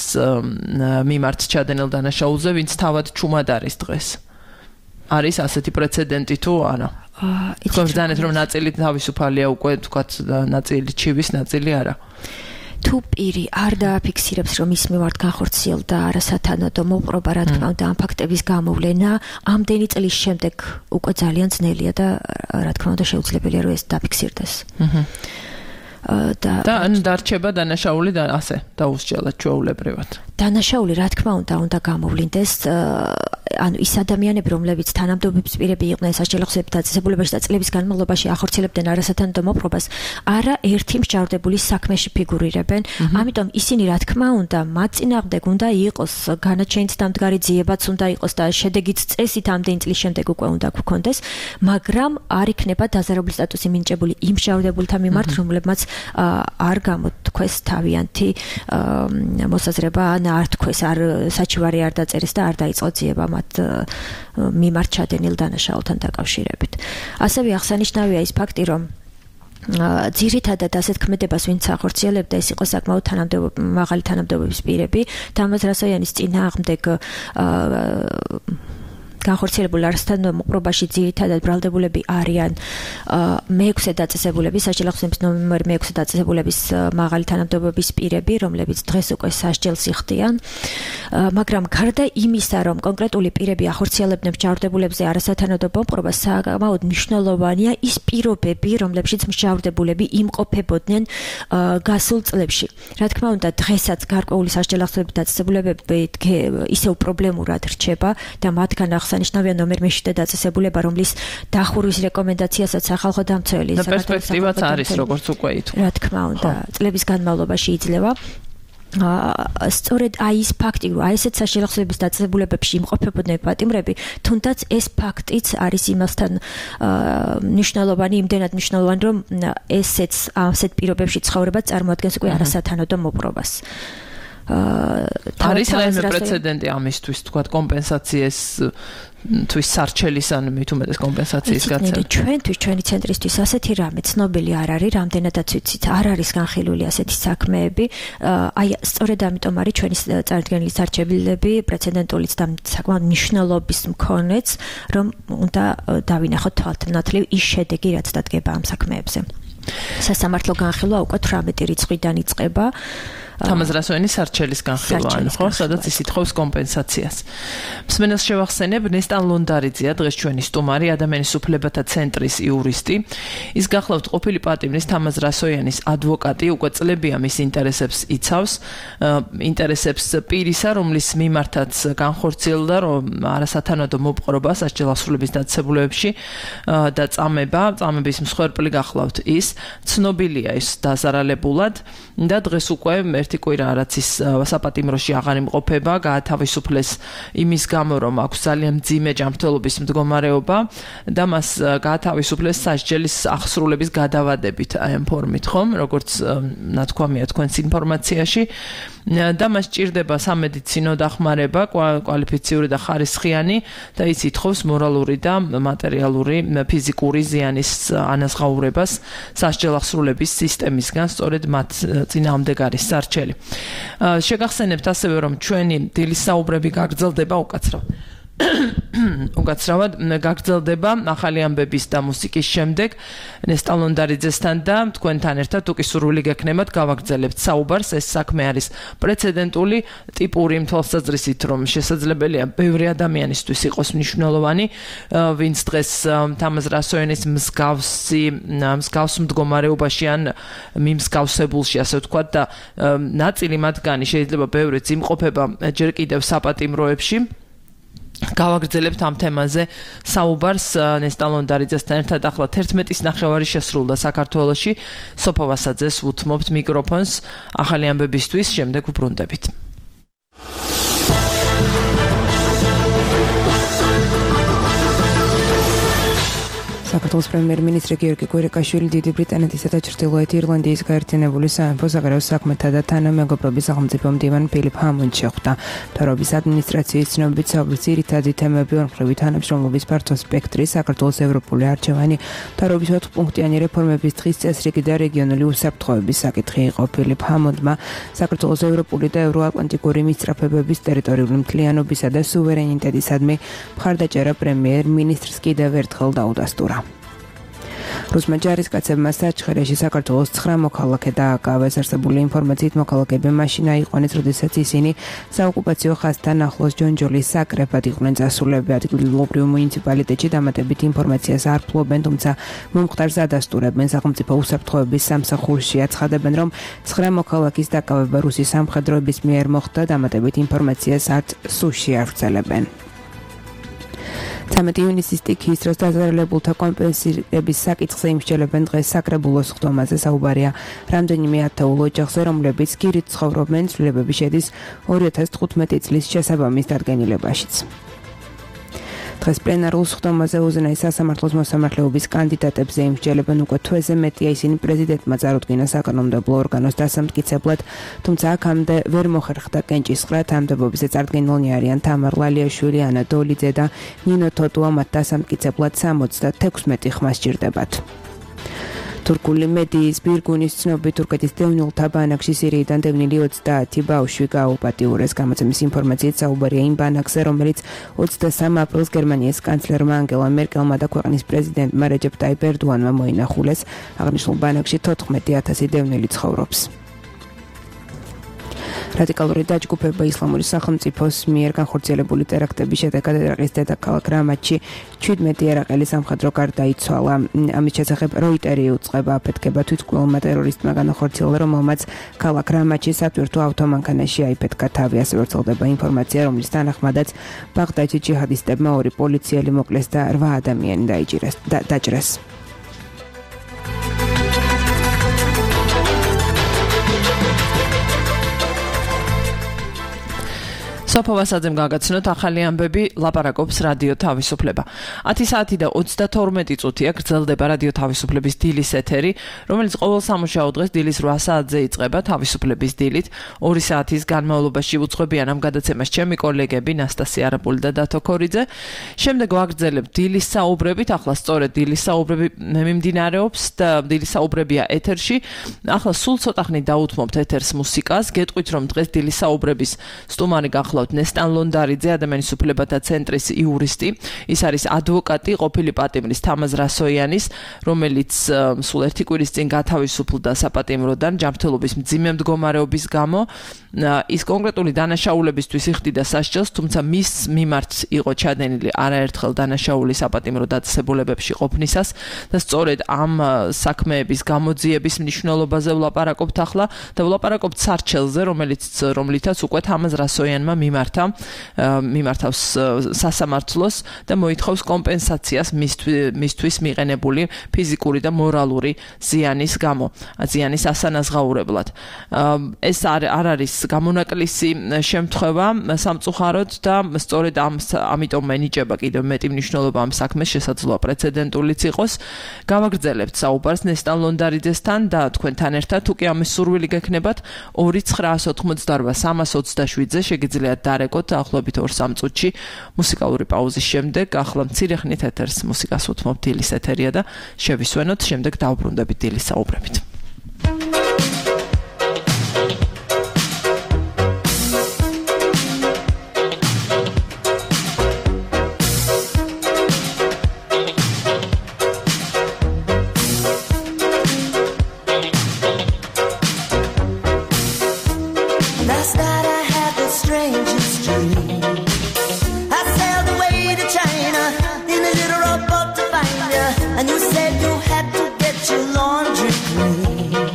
მიმართ ჩადენილ დანაშაულზე, ვინც თავად ჩუმად არის დღეს. არის ასეთი პრეცედენტი თუ არა? თქვენ რომ ნაწილი თავისუფალია უკვე, ვთქვათ, ნაწილი ჩივის, ნაწილი არა. თუ პირი არ დააფიქსირებს, რომ ის მიმართ განხორციელდა არასათანადო მოპყრობა, რა თქმა უნდა, ამ ფაქტების გამოვლენა ამდენი წლის შემდეგ უკვე ძალიან ძნელია და რა თქმა უნდა შეუძლებელია, რომ ეს დაფიქსირდეს. და დარჩება დანაშაული და ასე დაუსჯელად ჩვეულებრივად. დანაშაული რა თქმა უნდა გამოვლინდეს, ანუ ის ადამიანები, რომლებიც თანამდებობის პირები იყვნენ სასჯელოხსების დაწესებულებაში და წლების განმავლობაში ახორციელებდნენ არასათანადო მოპყრობას, არა ერთი მსჯავრდებულის საქმეში ფიგურირებენ, ამიტომ ისინი რა თქმა უნდა მათ წინააღმდეგ უნდა იყოს განაჩენით დამდგარი ძიებაც უნდა იყოს და შედეგიც წესით ამდენი წლის შემდეგ უკვე უნდა გვქონდეს, მაგრამ არ იქნება დაზარალებული სტატუსი მინიჭებული იმ მსჯავრდებულთა მიმართ, რომლებმაც არ გამოთქვეს თავიანთი მოსაზრება ან არ თქვეს, არ საჩივარი არ დაწერეს და არ დაიწყო ძიება მათ მიმართ ჩადენილ დანაშაულთან დაკავშირებით. ასევე აღსანიშნავია ის ფაქტი, რომ ძირითადად ასეთ ქმედებას ვინც ახორციელებდა, ეს იყო საკმაოდ მაღალი თანამდებობის პირები, თამაზ რასოიანის წინააღმდეგ განხორციელებულ არასათანადო მოპყრობაში ძირითადად ბრალდებულები არიან მე-6 დაწესებულების, სასჯელოხსნების ნომერ მე-6 დაწესებულების მაღალი თანამდებობის პირები, რომლებიც დღეს უკვე სასჯელს იხდიან, მაგრამ გარდა იმისა, რომ კონკრეტული პირები ახორციელებდნენ მსჯავრდებულებზე არასათანადო მოპყრობას, საკმაოდ მნიშვნელოვანია ის პირობები, რომლებშიც მსჯავრდებულები იმყოფებოდნენ გასულ წლებში. რა თქმა უნდა, დღესაც გარკვეული სასჯელოხსნების დაწესებულებები ისევ პრობლემურად რჩება და მათგან აღსანიშნავია ნომერ მე-7 დაწესებულება, რომლის დახურვის რეკომენდაციასაც სახალხო დამცველი და პერსპექტივაც არის, როგორც უკვე ითქვა. რა თქმა უნდა, წლების განმავლობაში იძლევა. სწორედ ის ფაქტი, რომ ესეთ სასჯელოხსების დაწესებულებებში იმყოფებოდნენ პატიმრები, თუნდაც ეს ფაქტიც არის იმასთან მნიშვნელოვანი, იმდენად მნიშვნელოვანი, რომ ასეთ პირობებში ცხოვრება წარმოადგენს უკვე არასათანადო მოპყრობას. არის რაიმე პრეცედენტი ამისთვის, თქვა კომპენსაციის თვის სარჩელის ან მით უმეტეს კომპენსაციის გაცემა. ჩვენთვის, ჩვენი ცენტრისთვის ასეთი რამე ცნობილი არ არის, რამდენადაც ვიცით, არ არის განხილული ასეთი საქმეები. აი, სწორედ ამიტომ არის ჩვენი წარდგენილი სარჩელები პრეცედენტულიც და საკმაოდ მნიშვნელობის მქონეც, რომ უნდა დავინახოთ თვალთნათლივ ის შედეგი, რაც დადგება ამ საქმეებზე. სასამართლო განხილვა უკვე 18 რიცხვიდან იწყება. თამაზ რასოენის სარჩელის განხილვა, ხო, სადაც ის ითხოვს კომპენსაციას. მსმენელს შევახსენებ, ნესტან ლონდარიძეა დღეს ჩვენი სტუმარი, ადამიანის უფლებათა ცენტრის იურისტი. ის გახლავთ ყოფილი პატიმრის თამაზ რასოენის ადვოკატი, უკვე წლებია მის ინტერესებს იცავს, ინტერესებს პირისა, რომლის მიმართაც განხორციელდა, რომ არასათანადო მოპყრობა სასჯელოსრულების დაწესებულებებში და წამების მსხვერპლი გახლავთ ის, ცნობილია ის დაზარალებულად და დღეს უკვე ერთი კვირა რაც ის საპატიმროში აღარ იმყოფება, გაათავისუფლეს იმის გამო, რომ აქვს ძალიან მძიმე ჯანმრთელობის მდგომარეობა და მას გაათავისუფლეს სასჯელის აღსრულების გადავადებით აი ამ ფორმით, ხომ, როგორც ნათქვამია თქვენს ინფორმაციაში და მას ჭირდება სამედიცინო დახმარება, კვალიფიციური და ხარისხიანი და ის ითხოვს მორალური და მატერიალური ფიზიკური ზიანის ანაზღაურებას სასჯელახსრულების სისტემისგან, სწორედ მათ წინააღმდეგ არის სარჩელი. შეგახსენებთ ასევე, რომ ჩვენი დილის საუბრები გაგრძელდება უკაცრავ. უკაცრავად გაგრძელდება ახალი ამბების და მუსიკის შემდეგ ნესტა ლონდარიძესთან და თქვენთან ერთად თუკი სურვილი გექნებათ გავაგრძელებთ საუბარს. ეს საქმე არის პრეცედენტული ტიპური თვალსაზრისით, რომ შესაძლებელია ბევრი ადამიანისთვის იყოს მნიშვნელოვანი, ვინც დღეს თამაზ რასოენის მსგავს მდგომარეობაში ან მიმსგავსებულში, ასე ვთქვათ, და ნაწილი მათგანი შეიძლება ბევრიც იმყოფება ჯერ კიდევ საპატიმროებში. გავაგრძელებთ ამ თემაზე საუბარს ნესტა ლონდარიძესთან ერთად. ახლა 11-ის ნახევარი შესრულდა საქართველოში. სოფო ვასაძეს უთმობთ მიკროფონს ახალი ამბებისთვის, შემდეგ ვბრუნდებით. საქართველოს პრემიერ-მინისტრი გიორგი კვირიკაშვილი დიდი ბრიტანეთისა და ჩრდილოეთ ირლანდიის გაერთიანებული სამეფო საგარეო საქმეთა და თანამეგობრობის სახელმწიფო მდივან ფილიპ ჰამონდს შეხვდა. მთავრობის ადმინისტრაციის ცნობით საუბრის ძირითადი თემები ორმხრივი თანამშრომლობის ფართო სპექტრი, საქართველოს ევროპული არჩევანი, მთავრობის 4-პუნქტიანი რეფორმების დღის წესრიგი და რეგიონული უსაფრთხოების საკითხი იყო. ფილიპ ჰამონდმა საქართველოს ევროპული და ევროატლანტიკური მისწრაფებების ტერიტორიული მთლიანობისა და სუვერენიტეტისადმი მხარდაჭერა პრემიერ-მინისტრს კიდევ ერთხელ დაუდასტურა. რუსმა ჯარისკაცებმა საჩხერეში საქართველოს 9 მოქალაქე დააკავეს. არსებული ინფორმაციით მოქალაქეები მაშინ აიყვანეს, როდესაც ისინი საოკუპაციო ხაზთან ახლოს ჯონჯოლის საკრებად იყვნენ წასულები. ადგილობრივ მუნიციპალიტეტში დამატებით ინფორმაციას არ ფლობენ, თუმცა მომხდარს ადასტურებენ. სახელმწიფო უსაფრთხოების სამსახურში აცხადებენ, რომ 9 მოქალაქის დაკავება რუსის სამხედროების მიერ მოხდა. დამატებით ინფორმაციას არც სუში არ ვრცელებენ. 13 ივნისის სტიქიის დროს დაზარალებულთა კომპენსირების საკითხზე იმსჯელებენ დღეს საკრებულოს ხდომაზე. საუბარია რამდენიმე ათეულ ოჯახზე, რომლებიც გირით ცხოვრობენ. ცვლილებები შედის 2015 წლის შესაბამის დადგენილებაშიც. დღეს პლენარულ ხდომაზე უზენაეს სასამართლოს მოსამართლეობის კანდიდატებზე იმსჯელებენ. უკვე თვეზე მეტია ისინი პრეზიდენტმა წარუდგინა საკანონმდებლო ორგანოს დასამტკიცებლად, თუმცა აქამდე ვერ მოხერხდა კენჭისყრა. თანამდებობაზე წარდგენილნი არიან თამარ ლალიაშვილი, ანა დოლიძე და ნინო თოტუა. მათ დასამტკიცებლად 76 ხმა სჭირდებათ. თურქული მედიის ბირგუნის ცნობით თურქეთის დევნილთა ბანაკში სირიიდან დევნილი 30 ბავშვი გააუპატიურეს. გამოცემის ინფორმაციით საუბარია იმ ბანაკზე, რომელიც 23 აპრილს გერმანიის კანცლერმა ანგელა მერკელმა და ქვეყნის პრეზიდენტმა რეჯეპ ტაიპ ერდოანმა მოინახულეს. აღნიშნულ ბანაკში 14,000 დევნილი ცხოვრობს. რადიკალური დაჯგუფება ისლამური სახელმწიფოს მიერ განხორციელებული ტერაქტების შედეგად ერაყის დედაქალაქ რამათში 17 ერაყელი სამხედრო გარდაიცვალა. ამის შესახებ როიტერი უწყება აფეთქება თვითმკვლელმა ტერორისტმა განახორციელა, რომელმაც ქალაქ რამათში სატვირთო ავტომანქანაში აიფეთქა თავი. ასე ვრცელდება ინფორმაცია, რომლის თანახმადაც ბაღდადში ჯიჰადისტებმა 2 პოლიციელი მოკლეს და 8 ადამიანი დაჭრეს. სოფო ვასაძემ გაგაცნოთ ახალი ამბები, ლაპარაკობს რადიო თავისუფლება. 10 საათი და 32 წუთია გრძელდება რადიო თავისუფლების დილის ეთერი, რომელიც ყოველ სამუშაო დღეს დილის 8 საათზე იწყება თავისუფლების დილით. 2 საათის განმავლობაში უძღვებიან ამ გადაცემას ჩემი კოლეგები ნასტასია არაპული და დათო ქორიძე. შემდეგ ვაგრძელებთ დილის საუბრებით, ახლა სწორედ დილის საუბრები მიმდინარეობს და დილის საუბრებია ეთერში. ახლა სულ ცოტა ხნით დაუთმობთ ეთერს მუსიკას. გეტყვით, რომ დღეს დილის საუბრების სტუმარი გახლავთ ნესტა ლონდარიძე, ადამიანის უფლებათა ცენტრის იურისტი. ის არის ადვოკატი ყოფილი პატიმრის თამაზ რასოიანის, რომელიც სულ 1 კვირის წინ გათავისუფლდა საპატიმროდან ჯანმრთელობის მძიმე მდგომარეობის გამო. ის კონკრეტული დანაშაულებისთვის იხდიდა სასჯელს, თუმცა მის მიმართ იყო ჩადენილი არაერთხელ დანაშაული საპატიმრო დაწესებულებებში ყოფნისას და სწორედ ამ საქმეების გამოძიების მნიშვნელობაზე ვლაპარაკობთ ახლა და ვლაპარაკობთ სარჩელზე, რომლითაც უკვე თამაზ რასოიანმა მიმართავს სასამართლოს და მოითხოვს კომპენსაციას მისთვის მიყენებული ფიზიკური და მორალური ზიანის გამო, ზიანის ასანაზღაურებლად. ეს არ არის გამონაკლისი შემთხვევა სამწუხაროდ და სწორედ ამიტომ ენიჭება კიდევ მეტი მნიშვნელობა ამ საქმეს, შესაძლოა პრეცედენტულიც იყოს. გავაგრძელებთ საუბარს ნესტა ლონდარიძესთან და თქვენთან ერთად, თუკი ამის სურვილი გექნებათ, 2-988-327-ზე შეგიძლიათ დარეკოთ ახლობით 2-3 წუთში მუსიკალური პაუზის შემდეგ. ახლა მცირე ხნით ეთერს მუსიკას უთმობთ, დილის ეთერია და შევისვენოთ, შემდეგ დავბრუნდებით დილის საუბრებით. dream. I sailed away to China in a little rowboat to find you, and you said you had to get your laundry clean.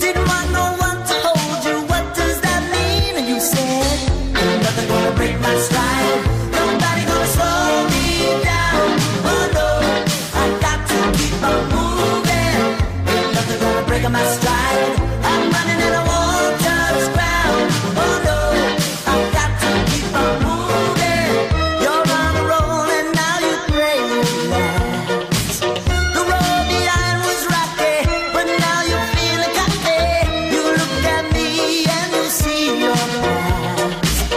Didn't want no one to hold you, what does that mean? And you said, ain't nothing gonna break my stride, nobody gonna slow me down. Oh no, I got to keep on moving, ain't nothing gonna break my stride. I'm running and I won't touch ground. Oh no, I got to keep on moving. You're on a roll and now you pray relax. The road behind was rocky, but now you're feeling cocky. You look at me and you see your past.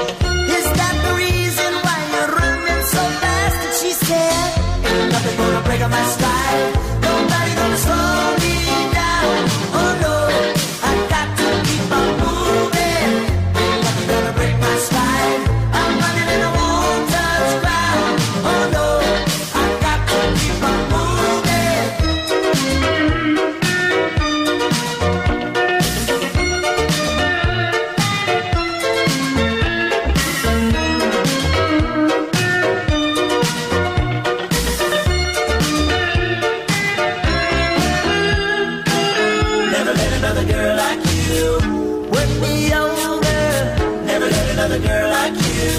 Is that the reason why you're running so fast? And she said, ain't nothing gonna break my stride, nobody gonna slow me down. Oh no, I got to keep on moving, ain't nothing gonna break my stride. I'm running and I won't touch ground. Oh no, I got to keep on moving. Never let another girl like you work me over. Never let another girl like you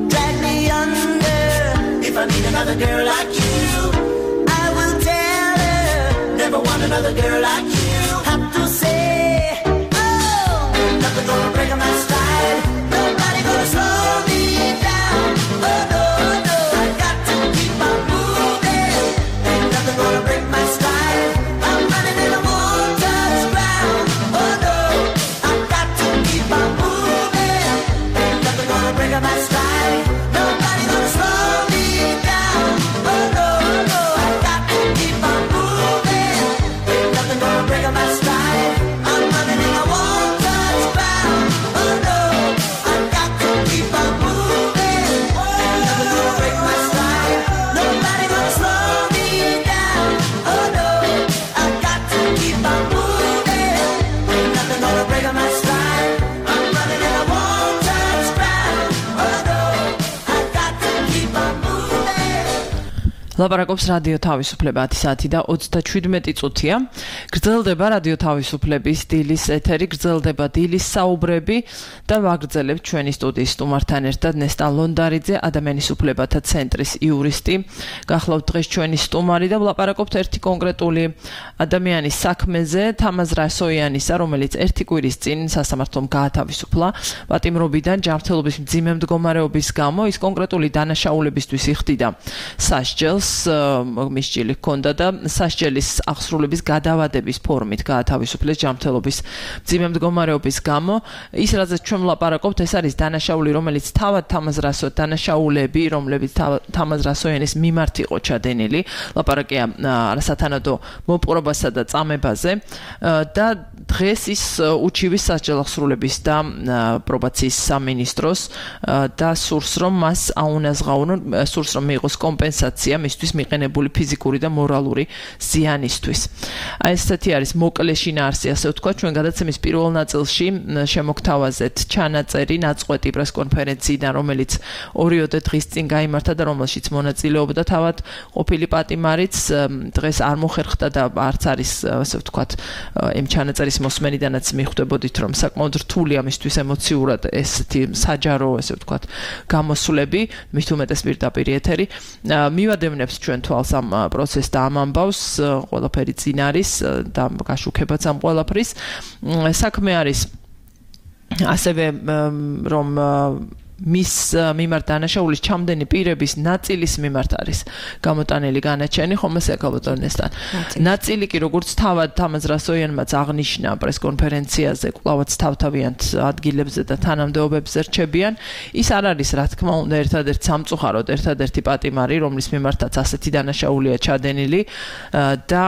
drag me under. If I meet another girl like you, I will tell her. Never want another girl like you. Have to say, oh, ain't nothing gonna break my stride, nobody gonna slow me down. Oh no, no, I got to keep on moving, ain't nothing gonna break my stride. I'm running and I won't touch ground. Oh no, I got to keep on moving, ain't nothing gonna break my stride, nobody gonna slow me down. Oh no, no, I got to keep on moving, ain't nothing gonna break my stride. I'm running and I won't touch ground. Oh no, I got to keep on moving, ain't nothing gonna break my stride, nobody gonna slow me down. Oh no, I got to keep on moving, ain't nothing gonna break my stride. I'm running and I won't touch ground. Oh no, I got to keep on moving. ლაპარაკობს რადიო თავისუფლება 10 საათი და 37 წუთია. გრძელდება რადიო თავისუფლების დილის ეთერი, გრძელდება დილის საუბრები და ვაგრძელებთ ჩვენი სტუდიის სტუმართან ერთად ნესტა ლონდარიძე, ადამიანის უფლებათა ცენტრის იურისტი. გახლავთ დღეს ჩვენი სტუმარი და ვლაპარაკობთ ერთი კონკრეტული ადამიანის საქმეზე, თამაზ რასოიანისა, რომელიც ერთი კვირის წინ სასამართლომ გაათავისუფლა პატიმრობიდან ჯანმრთელობის მძიმე მდგომარეობის გამო. ის კონკრეტული დანაშაულებისთვის იხდიდა სასჯელს, მისჯილი ჰქონდა და სასჯელის აღსრულების გადავადების ფორმით გაათავისუფლეს ჯანმრთელობის მძიმე მდგომარეობის გამო. ის რაზეც ჩვენ ვლაპარაკობთ, ეს არის დანაშაული, რომელიც თავად დანაშაულები, რომლებიც თამაზ რასოიანის მიმართ იყო ჩადენილი. ლაპარაკია არასათანადო მოპყრობასა და წამებაზე და დღეს ის უჩივის სასჯელ აღსრულების და პრობაციის სამინისტროს და სურს რომ მას აუნაზღავნონ, სურს რომ მიიღოს კომპენსაცია მისთვის მიყენებული ფიზიკური და მორალური ზიანისთვის. აი ესეთი არის მოკლე შინაარსი, ასე ვთქვათ. ჩვენ გადაცემის პირველ ნაწილში შემოგთავაზეთ ჩანაწერი ნაწყვეტი პრესკონფერენციიდან, რომელიც 2 დღის წინ გაიმართა და რომელშიც მონაწილეობდა თავად ყოფილი პატიმარიც. დღეს არ მოხერხდა და არც არის, ასე ვთქვათ, იმ ჩანაწერის მოსმენიდანაც მიხვდებოდით, რომ საკმაოდ რთულია მისთვის ემოციურად ესეთი საჯარო, ასე ვთქვათ, გამოსვლები, მით უმეტეს პირდაპირ ეთერი. მივადევნებს ჩვენ თვალს ამ პროცესს და ამ ამბავს, ყველაფერი წინ არის და გაშუქებაც ამ ყველაფრის. საქმე არის ასევე რომ მის მიმართ დანაშაულის ჩამდენი პირების ნაწილის მიმართ არის გამოტანილი განაჩენი, ხომ ასე გაბატონესთან. ნაწილი კი როგორც თავად თამაზ რასოიანმაც აღნიშნა პრესკონფერენციაზე, კვლავაც თავთავიანთ ადგილებზე და თანამდებობებზე რჩებიან. ის არ არის, რა თქმა უნდა, ერთადერთ სამწუხაროდ ერთადერთი პატიმარი, რომლის მიმართაც ასეთი დანაშაულია ჩადენილი და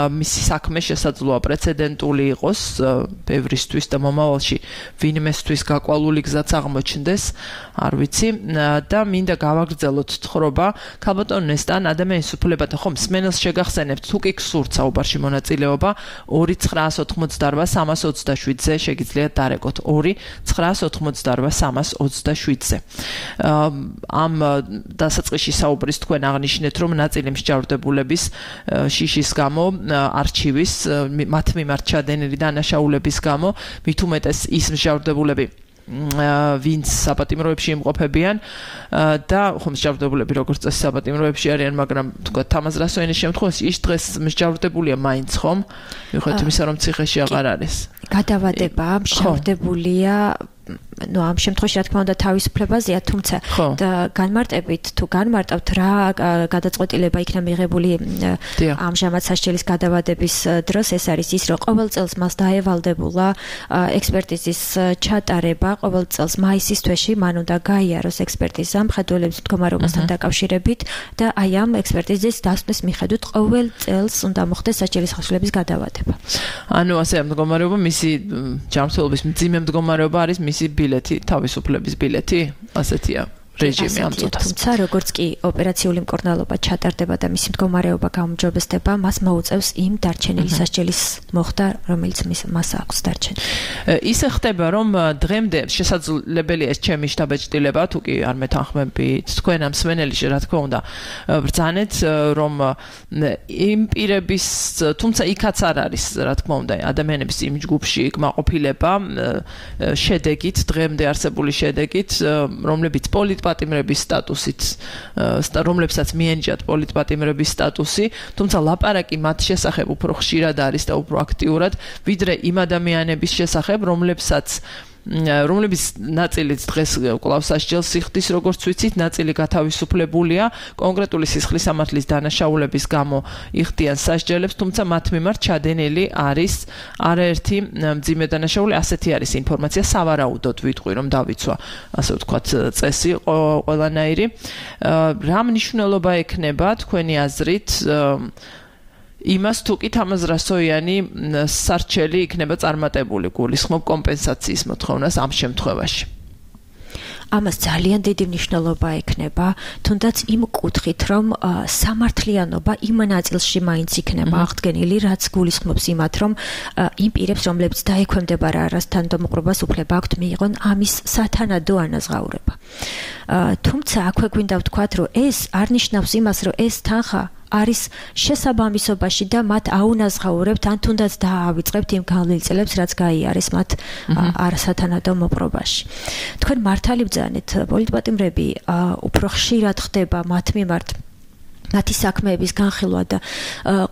მისი საქმე შესაძლოა პრეცედენტული იყოს ბევრისთვის და მომავალში ვინმესთვის გაკვალული გზაც აღმოჩნდეს. არ ვიცი და მინდა გავაგრძელოთ თხრობა ქალბატონ ნესტან ადამიანის უფლებათა ხომ სმენელს შეგახსენებთ თუ კი გსურთ საუბარში მონაწილეობა 2-988-327-ზე შეგიძლიათ დარეკოთ 2-988-327-ზე ამ დასაწყისში საუბრის თქვენ აღნიშნეთ რომ ნაწილი მსჯავრდებულების შიშის გამო არჩივის მათ მიმართ ჩადენილი დანაშაულების გამო მით უმეტეს ის მსჯავრდებულები ვინც საპატიმროებში იმყოფებიან და ხომ მსჯავრდებულები როგორც წესი საპატიმროებში არიან მაგრამ თქვა თამაზ რასოენის შემთხვევაში ის დღეს მსჯავრდებულია მაინც ხომ მიუხედავად იმისა რომ ციხეში აღარ არის გადავადება მსჯავრდებულია ну ამ შემთხვევაში რა თქმა უნდა თავისუფლებაზეა თუმცა განმარტებით თუ განმარტავთ რა გადაწყვეტილება იქნა მიღებული ამჟამად სასჯელის გადავადების დროს ეს არის ის რომ ყოველ წელს მას დაევალდებულა ექსპერტიზის ჩატარება ყოველ წელს მაისის თვეში მან უნდა გაიაროს ექსპერტიზა მხედველების მდგომარეობასთან დაკავშირებით და აი ამ ექსპერტიზის დასვნის მიხედვით ყოველ წელს უნდა მოხდეს სასჯელის ხასიათების გადავადება ანუ ასე მდგომარეობა მისი ჯანმრთელობის მძიმე მდგომარეობა არის მისი ბილეთი, თავისუფლების ბილეთი, ასეთია რეჟიმი ამ წუთას. თუმცა როგორც კი ოპერაციული მკურნალობა ჩატარდება და მისი მდგომარეობა გაუმჯობესდება, მას მოუწევს იმ დარჩენილი სასჯელის მოხდა, რომელიც მას აქვს დარჩენილი. ისე ხდება, რომ დღემდე შესაძლებელია ეს ჩემი შთაბეჭდილება, თუ კი არ მეთანხმებით თქვენ ამ სვენელიში, რა თქმა უნდა, ბრძანეთ, რომ იმ პირების, თუმცა იქაც არ არის, რა თქმა უნდა, ადამიანების იმ ჯგუფში კმაყოფილება შედეგით, დღემდე არსებული შედეგით, რომლებიც პოლიტპატიმრების სტატუსით, რომლებსაც მიენიჭათ პოლიტპატიმრების სტატუსი, თუმცა ლაპარაკი მათ შესახებ უფრო ხშირად არის და უფრო აქტიურად, ვიდრე იმ ადამიანების შესახებ, რომლებიც ნაწილიც დღეს კვლავ სასჯელს იხდის, როგორც ვიცით, ნაწილი გათავისუფლებულია, კონკრეტული სისხლის სამართლის დანაშაულების გამო იხდიან სასჯელებს, თუმცა მათ მიმართ ჩადენილი არის არაერთი მძიმე დანაშაული, ასეთი არის ინფორმაცია, სავარაუდოდ ვიტყვი, რომ დავიცვა, ასე ვთქვათ, წესი ყველანაირი. რა მნიშვნელობა ექნება თქვენი აზრით იმას თუ კი თამაზ რასოიანი სარჩელი იქნება წარმატებული გულისხმობ კომპენსაციის მოთხოვნას ამ შემთხვევაში. ამას ძალიან დიდი მნიშვნელობა ექნება, თუნდაც იმ კუთხით, რომ სამართლიანობა იმ ნაწილში მაინც იქნება აღდგენილი, რაც გულისხმობს იმათ, რომ იმ პირებს, რომლებიც დაექვემდებარა არასთანადომუყრობას უფლება აქვთ მიიღონ ამის სათანადო ანაზღაურება. თუმცა აქვე გვინდა ვთქვათ, რომ ეს არ ნიშნავს იმას, რომ ეს თანხა არის შესაბამისობაში და მათ აუნაზღაურებთ ან თუნდაც დაავიწყებთ იმ გავლილწილებს, რაც გაიარეს მათ არასათანადო მოპყრობაში. თქვენ მართალი ბრძანეთ, პოლიტპატიმრები უფრო ხშირად ხდება მათ მიმართ მათი საქმეების განხილვა და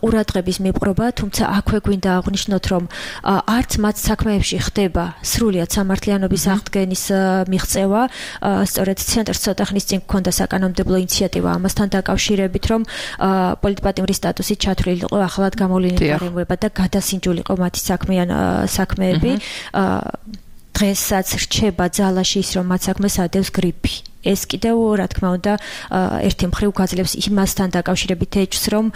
ყურადღების მიპყრობა, თუმცა აქვე გვინდა აღვნიშნოთ, რომ არც მათ საქმეებში ხდება სრულიად სამართლიანობის აღდგენის მიღწევა, სწორედ ცენტრს ცოტა ხნის წინ გქონდა საკანონმდებლო ინიციატივა ამასთან დაკავშირებით, რომ პოლიტპატიმრის სტატუსით ჩათვლილიყო ახლად გამოვლენილი გარემოება და გადასინჯულიყო მათი საქმეები. დღესაც რჩება ძალაში ის, რომ მათ საქმეს ადევს გრიპი. ეს კიდევ რა თქმა უნდა ერთი მხრივ გაძლევს იმასთან დაკავშირებით ეჭვს, რომ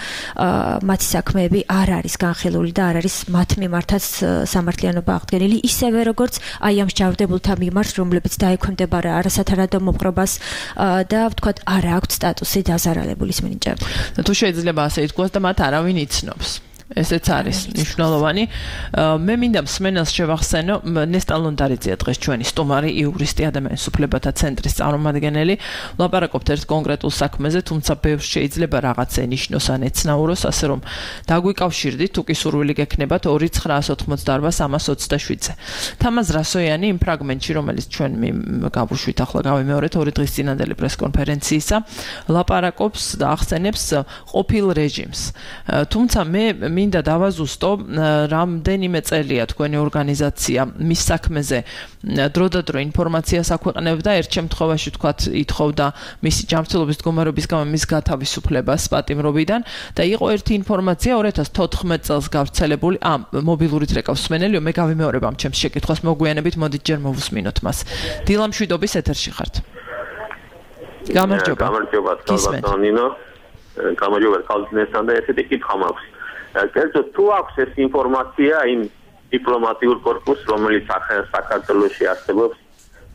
მათი საქმეები არ არის განხილული და არ არის მათ მიმართაც სამართლიანობა აღდგენილი, ისევე როგორც აი ამ მსჯავრდებულთა მიმართ, რომლებიც დაექვემდებარა არასათანადო მოპყრობას და ვთქვათ, არ აქვთ სტატუსი დაზარალებულის მინიჭებული. თუ შეიძლება ასე ითქვას და მათ არავინ იცნობს. ესეც არის მნიშვნელოვანი. მე მინდა მსმენელს შევახსენო, ნესტან ლონდარიძეა დღეს ჩვენი სტუმარი, იურისტი, ადამიანის უფლებათა ცენტრის წარმომადგენელი. ვლაპარაკობთ ერთ კონკრეტულ საქმეზე, თუმცა ბევრს შეიძლება რაღაცა ენიშნოს ან ეცნაუროს, ასე რომ დაგვიკავშირდით, თუ კი სურვილი გექნებათ 2-988-327-ზე. თამაზ რასოიანი იმ ფრაგმენტში, რომელიც ჩვენ გავუშვით ახლა გავიმეორეთ 2 დღის წინანდელი პრესკონფერენციისა, ლაპარაკობს და ახსენებს ყოფილ რეჟიმს. თუმცა მე მინდა დავაზუსტო, რამდენიმე წელია თქვენი ორგანიზაცია მის საქმეზე დროდადრო ინფორმაციას აქვეყნებდა, ერთ შემთხვევაში თქვათ ითხოვდა მისი ჯანმრთელობის მდგომარეობის გამო მის გათავისუფლებას პატიმრობიდან და იყო ერთი ინფორმაცია 2014 წელს გავრცელებული, მობილურით რეკავს მსმენელიო, მე გავიმეორებ ამ ჩემს შეკითხვას, მოგვიანებით მოდით ჯერ მოვუსმინოთ მას. დილა მშვიდობის ეთერში ხართ. გამარჯობა. გამარჯობა, ნინო. გამარჯობა, კალთინესთან და ესეთი კითხვა მაქვს. კერძოდ თუ აქვს ეს ინფორმაცია იმ დიპლომატიურ კორპუსს, რომელიც საქართველოში არსებობს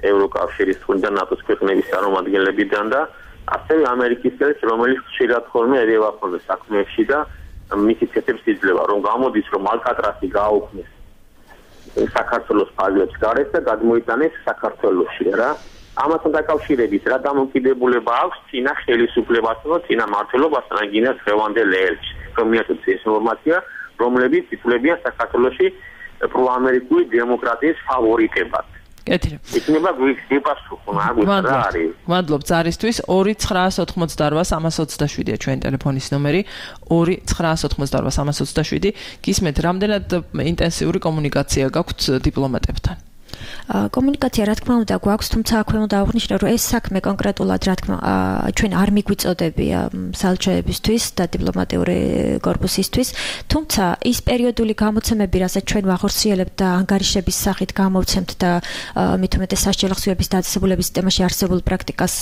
ევროკავშირის და ნატოს ქვეყნების წარმომადგენლებიდან და ასევე ამერიკისკენ, რომელიც ხშირად ხოლმე ერევა ხოლმე საქმეებში და მისი ცეთებს იძლევა, რომ გამოდის, რომ ალკატრასი გააუქმეს საქართველოს ფარგლებს გარეთ და გადმოიტანეს საქართველოში რა. ამასთან დაკავშირებით რა დამოკიდებულება აქვს წინა ხელისუფლებასთან და წინა მმართველობასთან გინას ხევანდელ ელჩს, რომ მიაწოდოს ეს ინფორმაცია, რომლებიც ითვლებიან საქართველოში პროამერიკული დემოკრატიის ფავორიტებად. კეთილი. იქნება გვიპასუხო, მაგის რა არის? მადლობ ზარისთვის 2988327-ია ჩვენი ტელეფონის ნომერი 2988327 გისმენთ რამდენად ინტენსიური კომუნიკაცია გაქვთ დიპლომატებთან? კომუნიკაცია რა თქმა უნდა გვაქვს, თუმცა აქვე უნდა აღვნიშნო, რომ ეს საქმე კონკრეტულად რა თქმა ჩვენ არ მიგვიწოდებია სალჩოებისთვის და დიპლომატიური კორპუსისთვის, თუმცა ის პერიოდული გამოცემები, რასაც ჩვენ ვახორციელებთ და ანგარიშების სახით გამოვცემთ და მით უმეტეს სასჯელი ხსვიების დაწესებულების სისტემაში არსებულ პრაქტიკას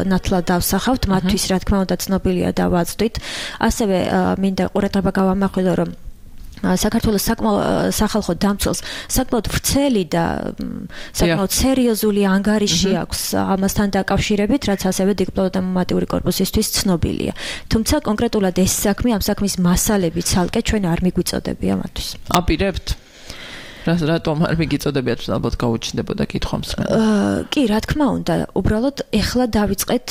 ნათლად დავსახავთ, მათთვის რა თქმა უნდა ცნობილია და ვაწვდით. ასევე მინდა ყურადღება გავამახვილო, რომ საქართველოს სახალხო დამცველს საკმაოდ ვრცელი და საკმაოდ სერიოზული ანგარიში აქვს ამასთან დაკავშირებით, რაც ასევე დიპლომატიური კორპუსისთვის ცნობილია. თუმცა კონკრეტულად ეს საქმე, ამ საქმის მასალები ცალკე ჩვენ არ მიგვიწოდებია მათთვის. აპირებთ? რატომ არ მიგიწოდებიათ, ალბათ გაუჩნდებოდა კითხვა მსმენელს. კი, რა თქმა უნდა, უბრალოდ ეხლა დავიწყეთ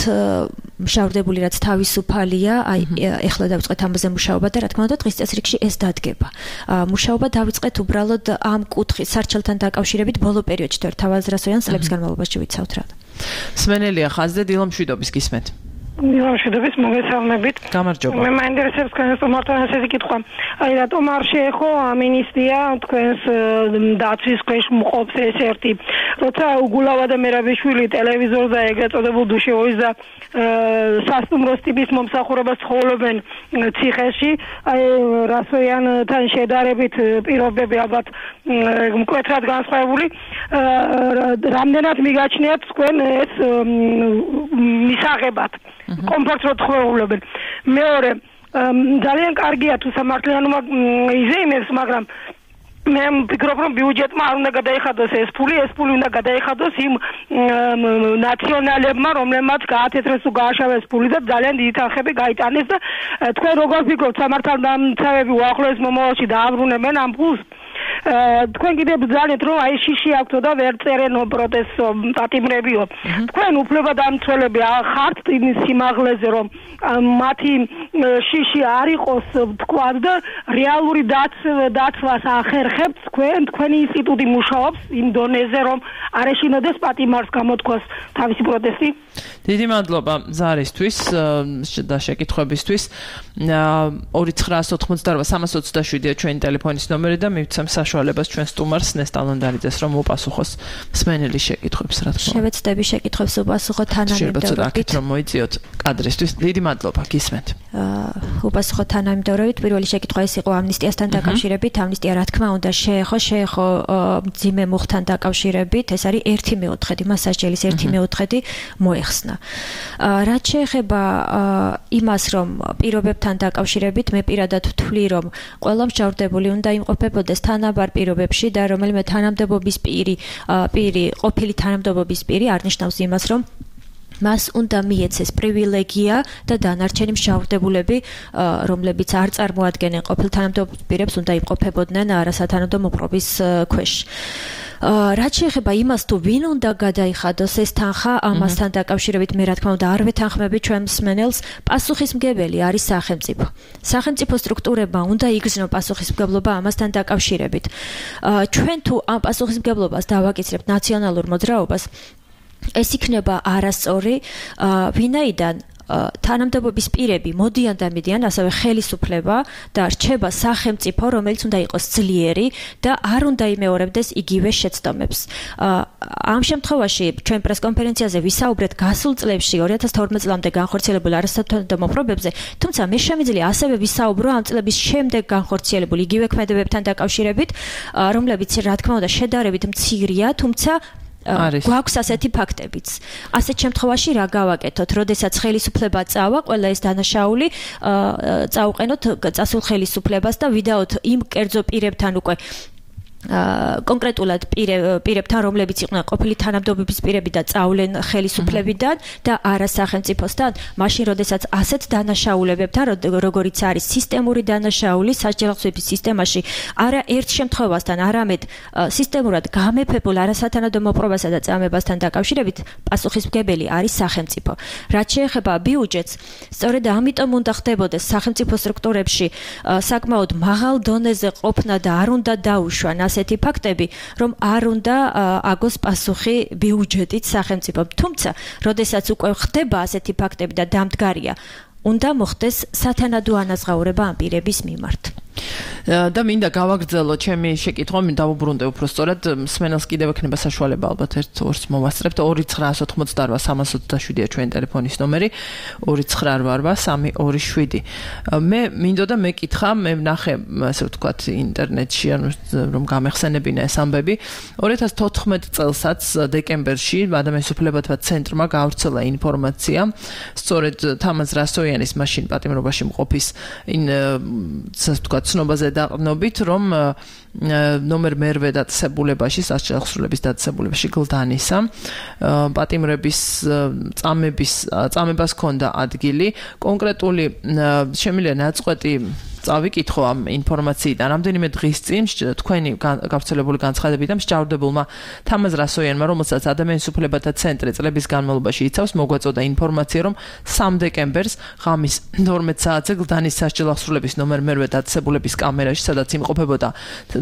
მშავდებული რაც თავისუფალია, აი ეხლა დავიწყეთ ამაზე მუშაობა და რა თქმა უნდა დღის წესრიგში ეს დადგება. მუშაობა დავიწყეთ უბრალოდ ამ კუთხის სარჩელთან დაკავშირებით ბოლო პერიოდში და თავაზრასოიან წლების განმავლობაში ვიცავთ რა. მსმენელია ხაზზე დილამშვიდობის გისმენთ. დილამშვიდობის მოგესალმებით. გამარჯობა. მე მაინტერესებს თქვენს თომართან ესეთი კითხვა. აი რატომ არ შეეხო ამინისტია თქვენს დაცვის ქვეშ მყოფს ეს ერთი. როცა უგულავა და მერაბიშვილი ტელევიზორზე ეგრეთ წოდებულ დუშევოის და სასტუმროს ტიპის მომსახურებას ცხოვრობენ ციხეში, აი რასოიანთან შედარებით პირობები ალბათ მკვეთრად განსხვავებული. რამდენად მიგაჩნიათ თქვენ ეს მისაღებად? კომფორტს რო თხოვებენ. მეორე, ძალიან კარგია თუ სამართლიანობა იზეიმებს, მაგრამ მე ვფიქრობ, რომ ბიუჯეტმა არ უნდა გადაიხადოს ეს ფული უნდა გადაიხადოს იმ ნაციონალებმა, რომლებმაც გაათეთრეს თუ გააშავეს ფული და ძალიან დიდი თანხები გაიტანეს და თქვენ როგორ ფიქრობთ, სამართალდამცავები უახლოეს მომავალში დააბრუნებენ ამ ფულს? თქვენ კიდევ ბრძანეთ, რომ აი შიში აქვთო და ვერ წერენო პროტესტო პატიმრებიო. თქვენ უფლებადამცველები ხართ იმის სიმაღლეზე, რომ მათი შიში არ იყოს თქვა და რეალური დაცვას ახერხებთ თქვენი ინსტიტუტი მუშაობს იმ დონეზე, რომ არ ეშინოდეს პატიმარს გამოთქვას თავისი პროტესტი? დიდი მადლობა ზარისთვის და შეკითხვებისთვის. 2988327-ია ჩვენი ტელეფონის ნომერი და მივცემ საშუალებას ჩვენ სტუმარს ნესტალონდარიძეს რომ უპასუხოს მსმენელის შეკითხვებს, რა თქმა უნდა. შევეცდები შეკითხვებს უპასუხო თანამიმდევრობით. რომ მოიწიოთ კადრისთვის. დიდი მადლობა, გისმენთ. უპასუხო თანამიმდევრობით. პირველი შეკითხვა ეს იყო ამნისტიასთან დაკავშირებით. ამნისტია რა თქმა უნდა შეეხო მძიმე მუხთან დაკავშირებით. ეს არის 1/4, მას სასჯელის 1/4 მოეხსნა. რაც შეეხება იმას, რომ პირობებთან დაკავშირებით, მე პირადად ვთვლი, რომ ყველა მსჯავრდებული უნდა იმყოფებოდეს თანაბარ პირობებში და რომელიმე თანამდებობის პირი ყოფილი თანამდებობის პირი არ ნიშნავს იმას, რომ მას უნდა მიეცეს პრივილეგია და დანარჩენი მსჯავრდებულები, რომლებიც არ წარმოადგენენ ყოფილ თანამდებობის პირებს, უნდა იმყოფებოდნენ არასათანადო მოპყრობის ქვეშ. რაც შეეხება იმას, თუ ვინ უნდა გადაიხადოს ეს თანხა, ამასთან დაკავშირებით მე რა თქმა უნდა არ ვეთანხმები ჩვენ მსმენელს, პასუხისმგებელი არის სახელმწიფო. სახელმწიფო სტრუქტურებმა უნდა იგრძნო პასუხისმგებლობა ამასთან დაკავშირებით. ჩვენ თუ ამ პასუხისმგებლობას დავაკისრებთ ნაციონალურ მოძრაობას, ეს იქნება არასწორი, ვინაიდან თანამდებობის პირები მოდიან და მიდიან, ასევე ხელისუფლება და რჩება სახელმწიფო, რომელიც უნდა იყოს ძლიერი და არ უნდა იმეორებდეს იგივე შეცდომებს. ამ შემთხვევაში ჩვენ პრესკონფერენციაზე ვისაუბრეთ გასულ წლებში 2012 წლამდე განხორციელებულ არასათანადო მოპყრობებზე, თუმცა მე შემიძლია ასევე ვისაუბრო ამ წლების შემდეგ განხორციელებულ იგივე ქმედებებთან დაკავშირებით, რომლებიც რა თქმა უნდა შედარებით მცირეა, თუმცა გვაქვს ასეთი ფაქტებიც. ასეთ შემთხვევაში რა გავაკეთოთ, როდესაც ხელისუფლება წავა, ყველა ეს დანაშაული წაუყენოთ წასულ ხელისუფლებას და ვიდაოთ იმ კერძო პირებთან უკვე კონკრეტულად პირებთან, რომლებიც იყვნენ ყოფილი თანამდებობის პირები და წავლენ ხელისუფლებიდან და არა სახელმწიფოსთან, მაშინ როდესაც ასეთ დანაშაულებებთან, როგორიც არის სისტემური დანაშაული სასჯელხსვების სისტემაში, არა ერთ შემთხვევასთან, არამედ სისტემურად გამეფებულ არასათანადო მოპყრობასა და წამებასთან დაკავშირებით პასუხისმგებელი არის სახელმწიფო. რაც შეეხება ბიუჯეტს, სწორედ ამიტომ უნდა ხდებოდეს სახელმწიფო სტრუქტურებში საკმაოდ მაღალ დონეზე ყოფნა და არ უნდა დაუშვან ასეთი ფაქტები, რომ არ უნდა აგოს პასუხი ბიუჯეტით სახელმწიფომ. თუმცა, როდესაც უკვე ხდება ასეთი ფაქტები და დამდგარია, უნდა მოხდეს სათანადო ანაზღაურება ამ პირების მიმართ. და მინდა გავაგრძელო ჩემი შეკითხვა, მინდა დავუბრუნდე უფრო სწორად, მსმენელს კიდევ ექნება საშუალება ალბათ ერთ-ორს მოვასწრებთ 2988-327-ია ჩვენი ტელეფონის ნომერი 2988-327. მე მინდოდა მეკითხა, მე ვნახე, ასე ვთქვათ, ინტერნეტში, რომ გამეხსენებინა ეს ამბები. 2014 წელსაც დეკემბერში ადამიანის უფლებათა ცენტრმა გაავრცელა ინფორმაცია, სწორედ თამაზ რასოიანის მაშინ პატიმრობაში მყოფის ცნობაზე დაყრდნობით, რომ ნომერ მერვე დაწესებულებაში, სასჯელხსრულების დაწესებულებაში გლდანისა პატიმრების წამებას ჰქონდა ადგილი. კონკრეტული შემიძლია ნაწყვეტი წავიკითხო ამ ინფორმაციიდან. რამდენიმე დღის წინ თქვენი გავრცელებული განცხადებიდან მსჯავრდებულმა თამაზ რასოიანმა, რომელსაც ადამიანის უფლებათა ცენტრი წლების განმავლობაში იცავს, მოგვაწოდა ინფორმაცია, რომ 3 დეკემბერს ღამის 12 საათზე გლდანის სასჯელხსრულების ნომერ მერვე დაწესებულების კამერაში, სადაც იმყოფებოდა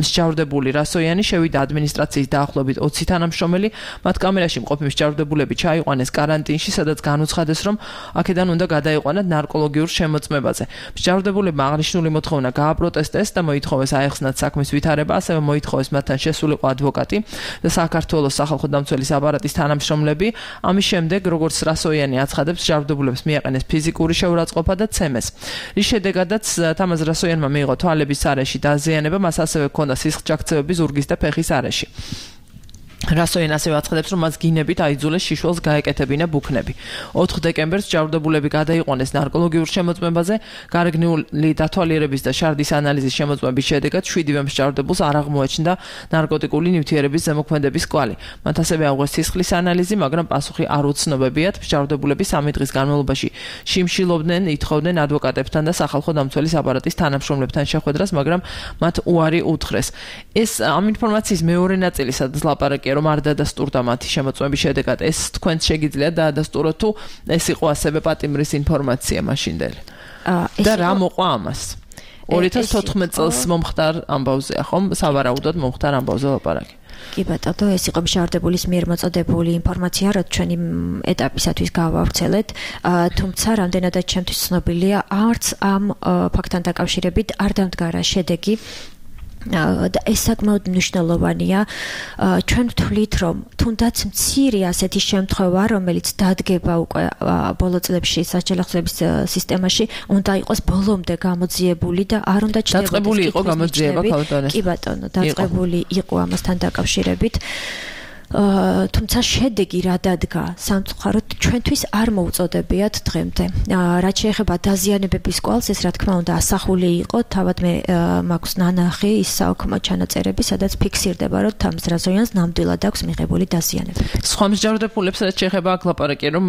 მსჯავრდებული რასოიანი, შევიდა ადმინისტრაციის დაახლოებით 20 თანამშრომელი. მათ კამერაში მყოფი მსჯავრდებულები ჩაიყვანეს კარანტინში, სადაც განუცხადეს, რომ აქედან უნდა გადაიყვანათ ნარკოლოგიურ შემოწმებაზე. მსჯავრდებულებმა აღნიშნული მოთხოვნა გააპროტესტეს და მოითხოვეს აეხსნათ საქმის ვითარება, ასევე მოითხოვეს მათთან შესულიყო ადვოკატი და საქართველოს სახალხო დამცველის აპარატის თანამშრომლები. ამის შემდეგ, როგორც რასოიანი აცხადებს, მსჯავრდებულებს მიაყენეს ფიზიკური შეურაცხყოფა და ცემეს. რის შედეგადაც თამაზ რასოიანმა მიიღო თვალების არეში დაზიანება, მას ასევე ჰქონდა სისხლჯაქცევები ზურგის და ფეხის არეში. რასოიანი ასევე აცხადებს, რომ მას გინებით აიძულეს შიშველს გაეკეთებინა ბუქნები. 4 დეკემბერს მსჯავრდებულები გადაიყვანეს ნარკოლოგიურ შემოწმებაზე, გარეგნული დათვალიერების და შარდის ანალიზის შემოწმების შედეგად 7-ვე მსჯავრდებულს არ აღმოაჩნდა ნარკოტიკული ნივთიერების ზემოქმედების კვალი. მათ ასევე აუღეს სისხლის ანალიზი, მაგრამ პასუხი არ უცნობებიათ. მსჯავრდებულები 3 დღის განმავლობაში შიმშილობდნენ, ითხოვდნენ ადვოკატებთან და სახალხო დამცველის აპარატის თანამშრომლებთან შეხვედრას, მაგრამ მათ უარი უთხრეს. ეს ამ ინფორმაციის მეორე ნაწილი, სადაც ლაპარაკია, რომ არ დადასტურდა მათი შემოწმების შედეგად, ეს თქვენს შეგიძლიათ დაადასტუროთ თუ ეს იყო ასევე პატიმრის ინფორმაცია მაშინდელი. და რა მოყვა ამას? 2014 წელს მომხდარ ამბავზეა, ხომ? სავარაუდოდ მომხდარ ამბავზე ლაპარაკი. კი ბატონო, ეს იყო მსჯავრდებულის მიერ მოწოდებული ინფორმაცია, რაც ჩვენი ეტაპისათვის გავავრცელეთ, თუმცა რამდენადაც ჩემთვის ცნობილია, არც ამ ფაქტთან დაკავშირებით არ დამდგარა შედეგი. და ეს საკმაოდ მნიშვნელოვანია. ჩვენ ვთვლით, რომ თუნდაც მცირე ასეთი შემთხვევა, რომელიც დადგება უკვე ბოლო წლებში სასჯელხსვების სისტემაში, უნდა იყოს ბოლომდე გამოძიებული და არ უნდა ჩნდებოდეს. დაწყებული იყო გამოძიება ქალბატონეს. კი ბატონო, დაწყებული იყო ამასთან დაკავშირებით. თუმცა შედეგი რა დადგა სამწუხაროდ ჩვენთვის არ მოუწოდებიათ დღემდე. რაც შეეხება დაზიანებების კვალს, ეს რა თქმა უნდა ასახული იყო, თავად მე მაქვს ნანახი ის საოქრო ჩანაწერები, სადაც ფიქსირდება, რომ თამაზ რასოიანს ნამდვილად აქვს მიღებული დაზიანებები. სხვა მსჯავრდებულებს რაც შეეხება აქ ლაპარაკია, რომ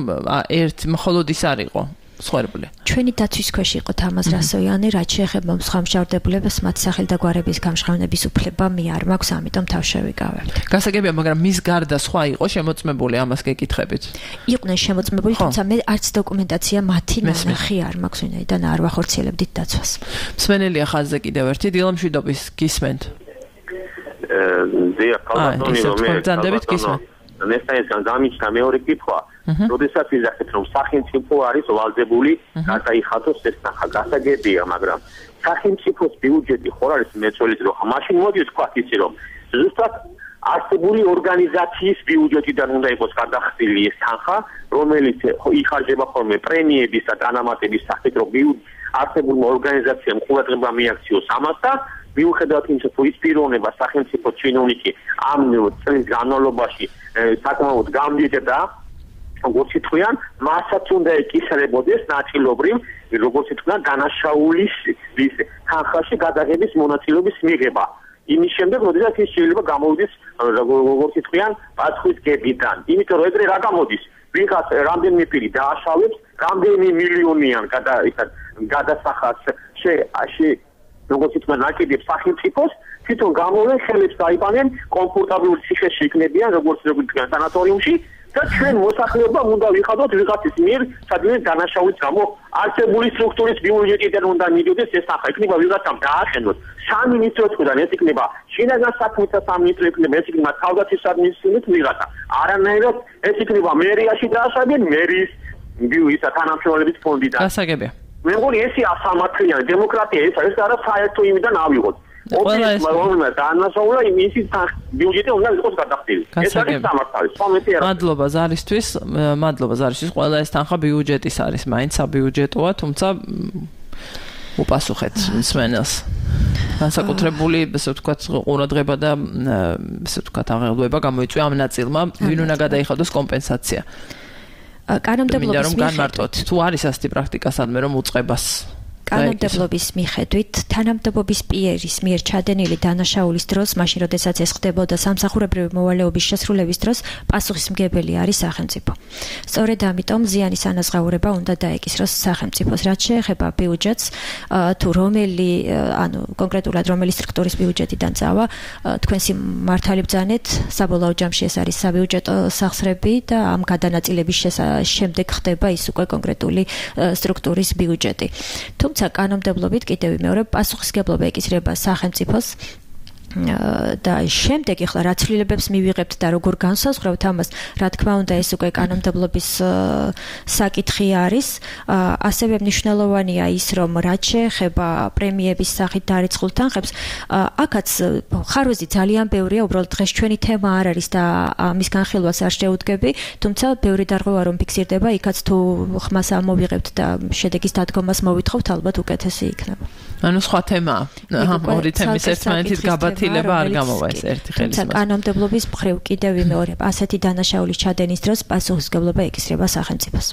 ერთ მხოლოდ ის არ იყო სხვერბლი. ჩვენი დაცვის ქვეშ იყო თამაზ რასოიანი, რაც შეეხება სხვა მსჯავრდებულებს, მათ სახელდაგვარების გამჟღავნების უფლება მე არ მაქვს, ამიტომ თავშევიკავებ. გასაგებია, მაგრამ მის გარდა სხვა იყო შემოწმებული, ამას გეკითხებით. იყვნენ შემოწმებული, თუმცა მე არც დოკუმენტაცია მათი ნახი არ მაქვს, ვინაიდან არ ვახორციელებდით დაცვას. მსმენელია ხაზზე კიდევ ერთი დილამშვიდობის გისმენთ. დიახ, ქალბატონი რომ მე დანდებით გისმენთ. ნესტაისგან გამიჩნდა მეორე კითხვა. როდესაც ვიზახეთ, რომ სახელმწიფო არის ვალდებული გადაიხადოს ეს ნახა, გასაგებია, მაგრამ სახელმწიფოს ბიუჯეტი ხარ არის მეწველის რო მაშინ მოდი ვთქვათ ისი რომ ზუსტად არსებული ორგანიზაციის ბიუჯეტიდან უნდა იყოს გადახდილი ეს თანხა, რომელიც იხარჯება ხოლმე პრემიების და დანამატების სახით, რომ არსებულმა ორგანიზაციამ ყურადღება მიაქციოს ამას და მიუხედავად იმისა, თუ ის პიროვნება სახელმწიფო ჩინოვნიკი ამ წლის განმავლობაში საკმაოდ გამდიდრდა, როგორც ითქვიან, მასაც უნდა ეკისრებოდეს ნაწილობრივ, როგორც ითქვიან, დანაშაულის თანხაში გადაღების მონაწილეობის მიღება. იმის შემდეგ, როდესაც ის შეიძლება გამოვიდეს როგორც იტყვიან, პასუხის კეპიდან. იმიტომ რომ ეგრე რა გამოდის? ვიღაც რამდენიმე პირი დააშავებს, რამდენი მილიონიან გადასახადს როგორც იტყვიან, აკიდებს სახელმწიფოს, თვითონ გამოვენ ხელებს დაიბანენ, კომფორტაბლურ ციხეში იქნებიან, როგორც იტყვიან, სანატორიუმში. და ჩვენ მოსახლეობა უნდა ვიხადოთ ვიღაცის მიერ სადმე დანაშაულის გამო არსებული სტრუქტურის ბიუჯეტიდან უნდა მიდიოდეს ეს ახლა იქნება ვიღაცამ დაახენოს 3 მინისტროს მხრიდან ეს იქნება შინაგან საქმეთა სამინისტრო იქნება ეს იქნება თავდაცვის სამინისტროს ვიღაცა არანაირად ეს იქნება მერიაში დააშავებენ მერის ბიუჯეტის თანამშრომლების ფონდიდან გასაგებია მე მგონი ესე ასამართლიანი დემოკრატია ეს არა საერთო იმიდან ავიღოთ ყველა ეს დაანაშაულა იმისი ბიუჯეტი უნდა იყოს გადახდილი. ეს არის სამართალი. მადლობა ზარისთვის, ყველა ეს თანხა ბიუჯეტის არის, მაინც საბიუჯეტოა, თუმცა უპასუხეთ მსმენელს. განსაკუთრებული, ასე ვთქვათ, ყურადღება და ასე ვთქვათ, აღელვება გამოიწვია ამ ნაწილმა, ვინ უნდა გადაიხადოს კომპენსაცია. კანონმდებლობის განმარტოთ, თუ არის ასეთი პრაქტიკა სადმე რომ უწყებას კანონმდებლობის მიხედვით თანამდებობის პირის მიერ ჩადენილი დანაშაულის დროს, მაშინ როდესაც ეს ხდებოდა სამსახურებრივი მოვალეობის შესრულების დროს, პასუხისმგებელი არის სახელმწიფო. სწორედ ამიტომ ზიანის ანაზღაურება უნდა დაეკისროს სახელმწიფოს, რაც შეეხება ბიუჯეტს, თუ კონკრეტულად რომელი სტრუქტურის ბიუჯეტიდან წავა, თქვენს მართალი ბრძანეთ, საბოლოო ჯამში ეს არის საბიუჯეტო სახსრები და ამ გადანაწილების შემდეგ ხდება ის უკვე კონკრეტული სტრუქტურის ბიუჯეტი. კანონმდებლობით კიდევ მეორე პასუხისმგებლობა ეკისრება სახელმწიფოს და შემდეგ ახლა რა ცვლილებებს მივიღებთ და როგორ განსაზღვრავთ ამას, რა თქმა უნდა ეს უკვე კანონმდებლობის საკითხი არის. ასევე მნიშვნელოვანია ის, რომ რაც შეეხება პრემიების სახით დარიცხულ თანხებს, აქაც ხარვეზი ძალიან ბევრია, უბრალოდ დღეს ჩვენი თემა არ არის და ამის განხილვას არ შევუდგები, თუმცა ბევრი დარღვევა რომ ფიქსირდება, იქაც თუ ხმას ამოვიღებთ და შედეგის დადგომას მოვითხოვთ, ალბათ უკეთესი იქნება. ანუ სხვა თემაა. ორი თემის ერთმანეთით გაბათილება არ გამოვა ეს ერთი ხელისმაწვდომი. კანონმდებლობის მხრივ კიდევ მეორე ასეთი დანაშაულის ჩადენის დროს პასუხისმგებლობა ეკისრება სახელმწიფოს.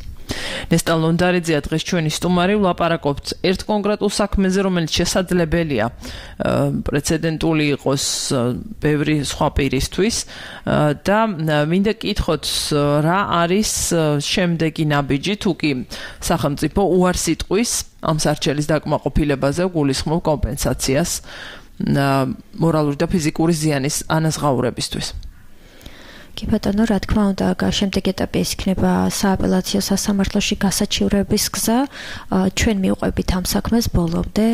ნესტა ლონდარიძეა დღეს ჩვენი სტუმარი, ვლაპარაკობთ ერთ კონკრეტულ საქმეზე, რომელიც შესაძლებელია პრეცედენტული იყოს ბევრი სხვა პირისთვის და მინდა კითხოთ რა არის შემდეგი ნაბიჯი, თუ კი სახელმწიფო უარს იტყვის ამ სარჩელის დაკმაყოფილებაზე გულისხმობ კომპენსაციას მორალური და ფიზიკური ზიანის ანაზღაურებისთვის. კი ბატონო, რა თქმა უნდა, შემდეგ ეტაპი ეს იქნება სააპელაციო სასამართლოში გასაჩივრების გზა. ჩვენ მივყვებით ამ საქმეს ბოლომდე,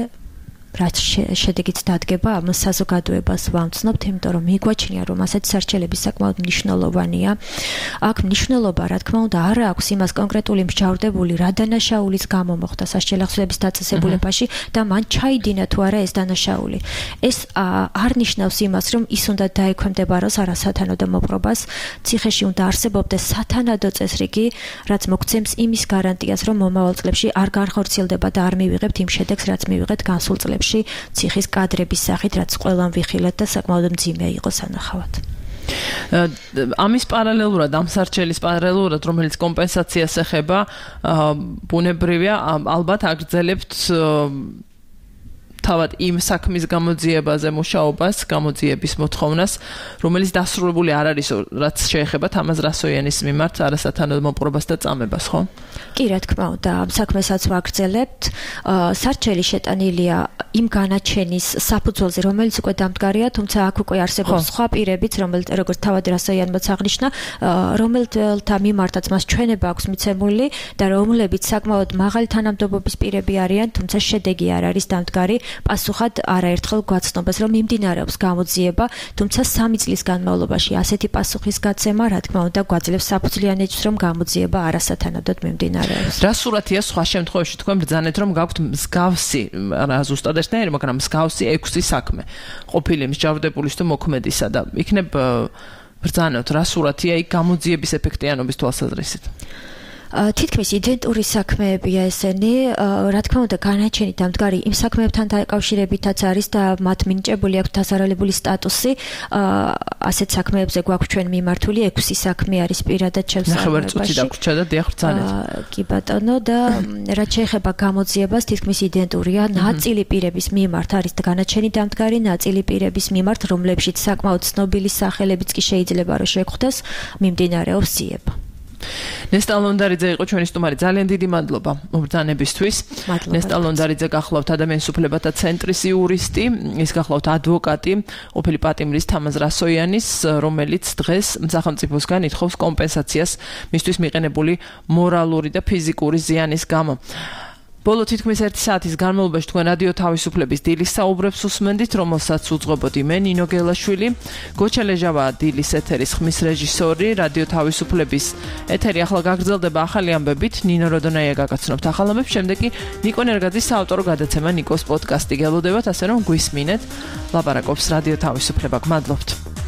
რაც შედეგიც დადგება, ამ საზოგადოებას ვამცნობთ, იმიტომ რომ მიგვაჩნია, რომ ასეთი სარჩელები საკმაოდ მნიშვნელოვანია. აქ მნიშვნელობა, რა თქმა უნდა, არ აქვს იმას კონკრეტული მსჯავრდებული რა დანაშაულის გამო მოხდა სასჯელახსნების დაწესებულებაში და მან ჩაიდინა თუ არა ეს დანაშაული. ეს არ ნიშნავს იმას, რომ ის უნდა დაექვემდებაროს არასათანადო მოპყრობას, ციხეში უნდა არსებობდეს სათანადო წესრიგი, რაც მოგცემს იმის გარანტიას, რომ მომავალ წლებში არ განხორციელდება და არ მივიღებთ იმ შედეგს, რაც მივიღეთ განსულ წლებში. ციხის კადრების სახით, რაც ყველამ ვიხილეთ და საკმაოდ მძიმე იყო სანახავად. ამის პარალელურად, ამ სარჩელის პარალელურად, რომელიც კომპენსაციას ეხება, ბუნებრივია, ალბათ აგრძელებთ თავად იმ საქმის გამოძიებაზე მუშაობას, გამოძიების მოთხოვნას, რომელიც დასრულებული არ არის, რაც შეეხება თამაზ რასოიანის მიმართ არასათანადო მოპყრობას და წამებას, ხო? კი, რა თქმა უნდა, ამ საქმესაც ვაგრძელებთ. სარჩელი შეტანილია იმ განაჩენის საფუძველზე, რომელიც უკვე დამდგარია, თუმცა აქ უკვე არსებობს სხვა პირებიც, როგორც თავად რასოიანმაც აღნიშნა, რომელთა მიმართაც მას ჩვენება აქვს მიცემული და რომლებიც საკმაოდ მაღალი თანამდებობის პირები არიან, თუმცა შედეგი არ არის დამდგარი. პასუხად არაერთხელ გვაცნობას, რომ მიმდინარეობს გამოძიება, თუმცა 3 წლის განმავლობაში ასეთი პასუხის გაცემა, რა თქმა უნდა, გვაძლევს საფუძვლიანებს, რომ გამოძიება არასათანადოდ მიმდინარეობს. რა სურათია სხვა შემთხვევაში თქვენ ბრძანეთ, რომ გაქვთ მსგავსი, არა ზუსტად ერთნაირი, მაგრამ მსგავსი 6 საქმე ყოფილი მსჯავრდებულის თუ მოქმედისა და იქნებ ბრძანოთ, რა სურათია იქ გამოძიების ეფექტიანობის თვალსაზრისით? თითქმის იდენტური საქმეებია ესენი, რა თქმა უნდა, განაჩენი დამდგარი იმ საქმეებთან დაკავშირებითაც არის და მათ მინიჭებული აქვს დასარალებული სტატუსი. ასეთ საქმეებზე გვაქვს ჩვენ მიმართული 6 საქმე არის პირადად ჩემს ნახევარწუთი დაგვრჩა და დიახ ბრძანეთ. კი ბატონო და რაც შეეხება გამოძიებას თითქმის იდენტურია. ნაწილი პირების მიმართ არის განაჩენი დამდგარი, ნაწილი პირების მიმართ, რომლებშიც საკმაოდ ცნობილი სახელებიც კი შეიძლება რომ შეგხვდეს, მიმდინარეობს ძიება. ნესტა ლონდარიძე იყო ჩვენი სტუმარი. ძალიან დიდი მადლობა მობრძანებისთვის. ნესტა ლონდარიძე გახლავთ ადამიანის უფლებათა ცენტრის იურისტი, ის გახლავთ ადვოკატი, ყოფილი პატიმრის თამაზ რასოიანის, რომელიც დღეს სახელმწიფოსგან ითხოვს კომპენსაციას მისთვის მიყენებული მორალური და ფიზიკური ზიანის გამო. ბოლო თითქმის 1 საათის განმავლობაში თქვენ რადიო თავისუფლების დილის საუბრებს უსმენდით, რომელსაც უძღვებოდი მე ნინო გელაშვილი. გოჩა ლეჟავა დილის ეთერის ხმის რეჟისორი, რადიო თავისუფლების ეთერი ახლა გაგრძელდება ახალი ამბებით. ნინო როდონაია გაგაცნობთ ახალ ამბებს, შემდეგ კი ნიკო ნერგაძის საავტორო გადაცემა ნიკოს პოდკასტი გელოდებათ, ასე რომ გვისმინეთ. ლაპარაკობს რადიო თავისუფლება. გმადლობთ.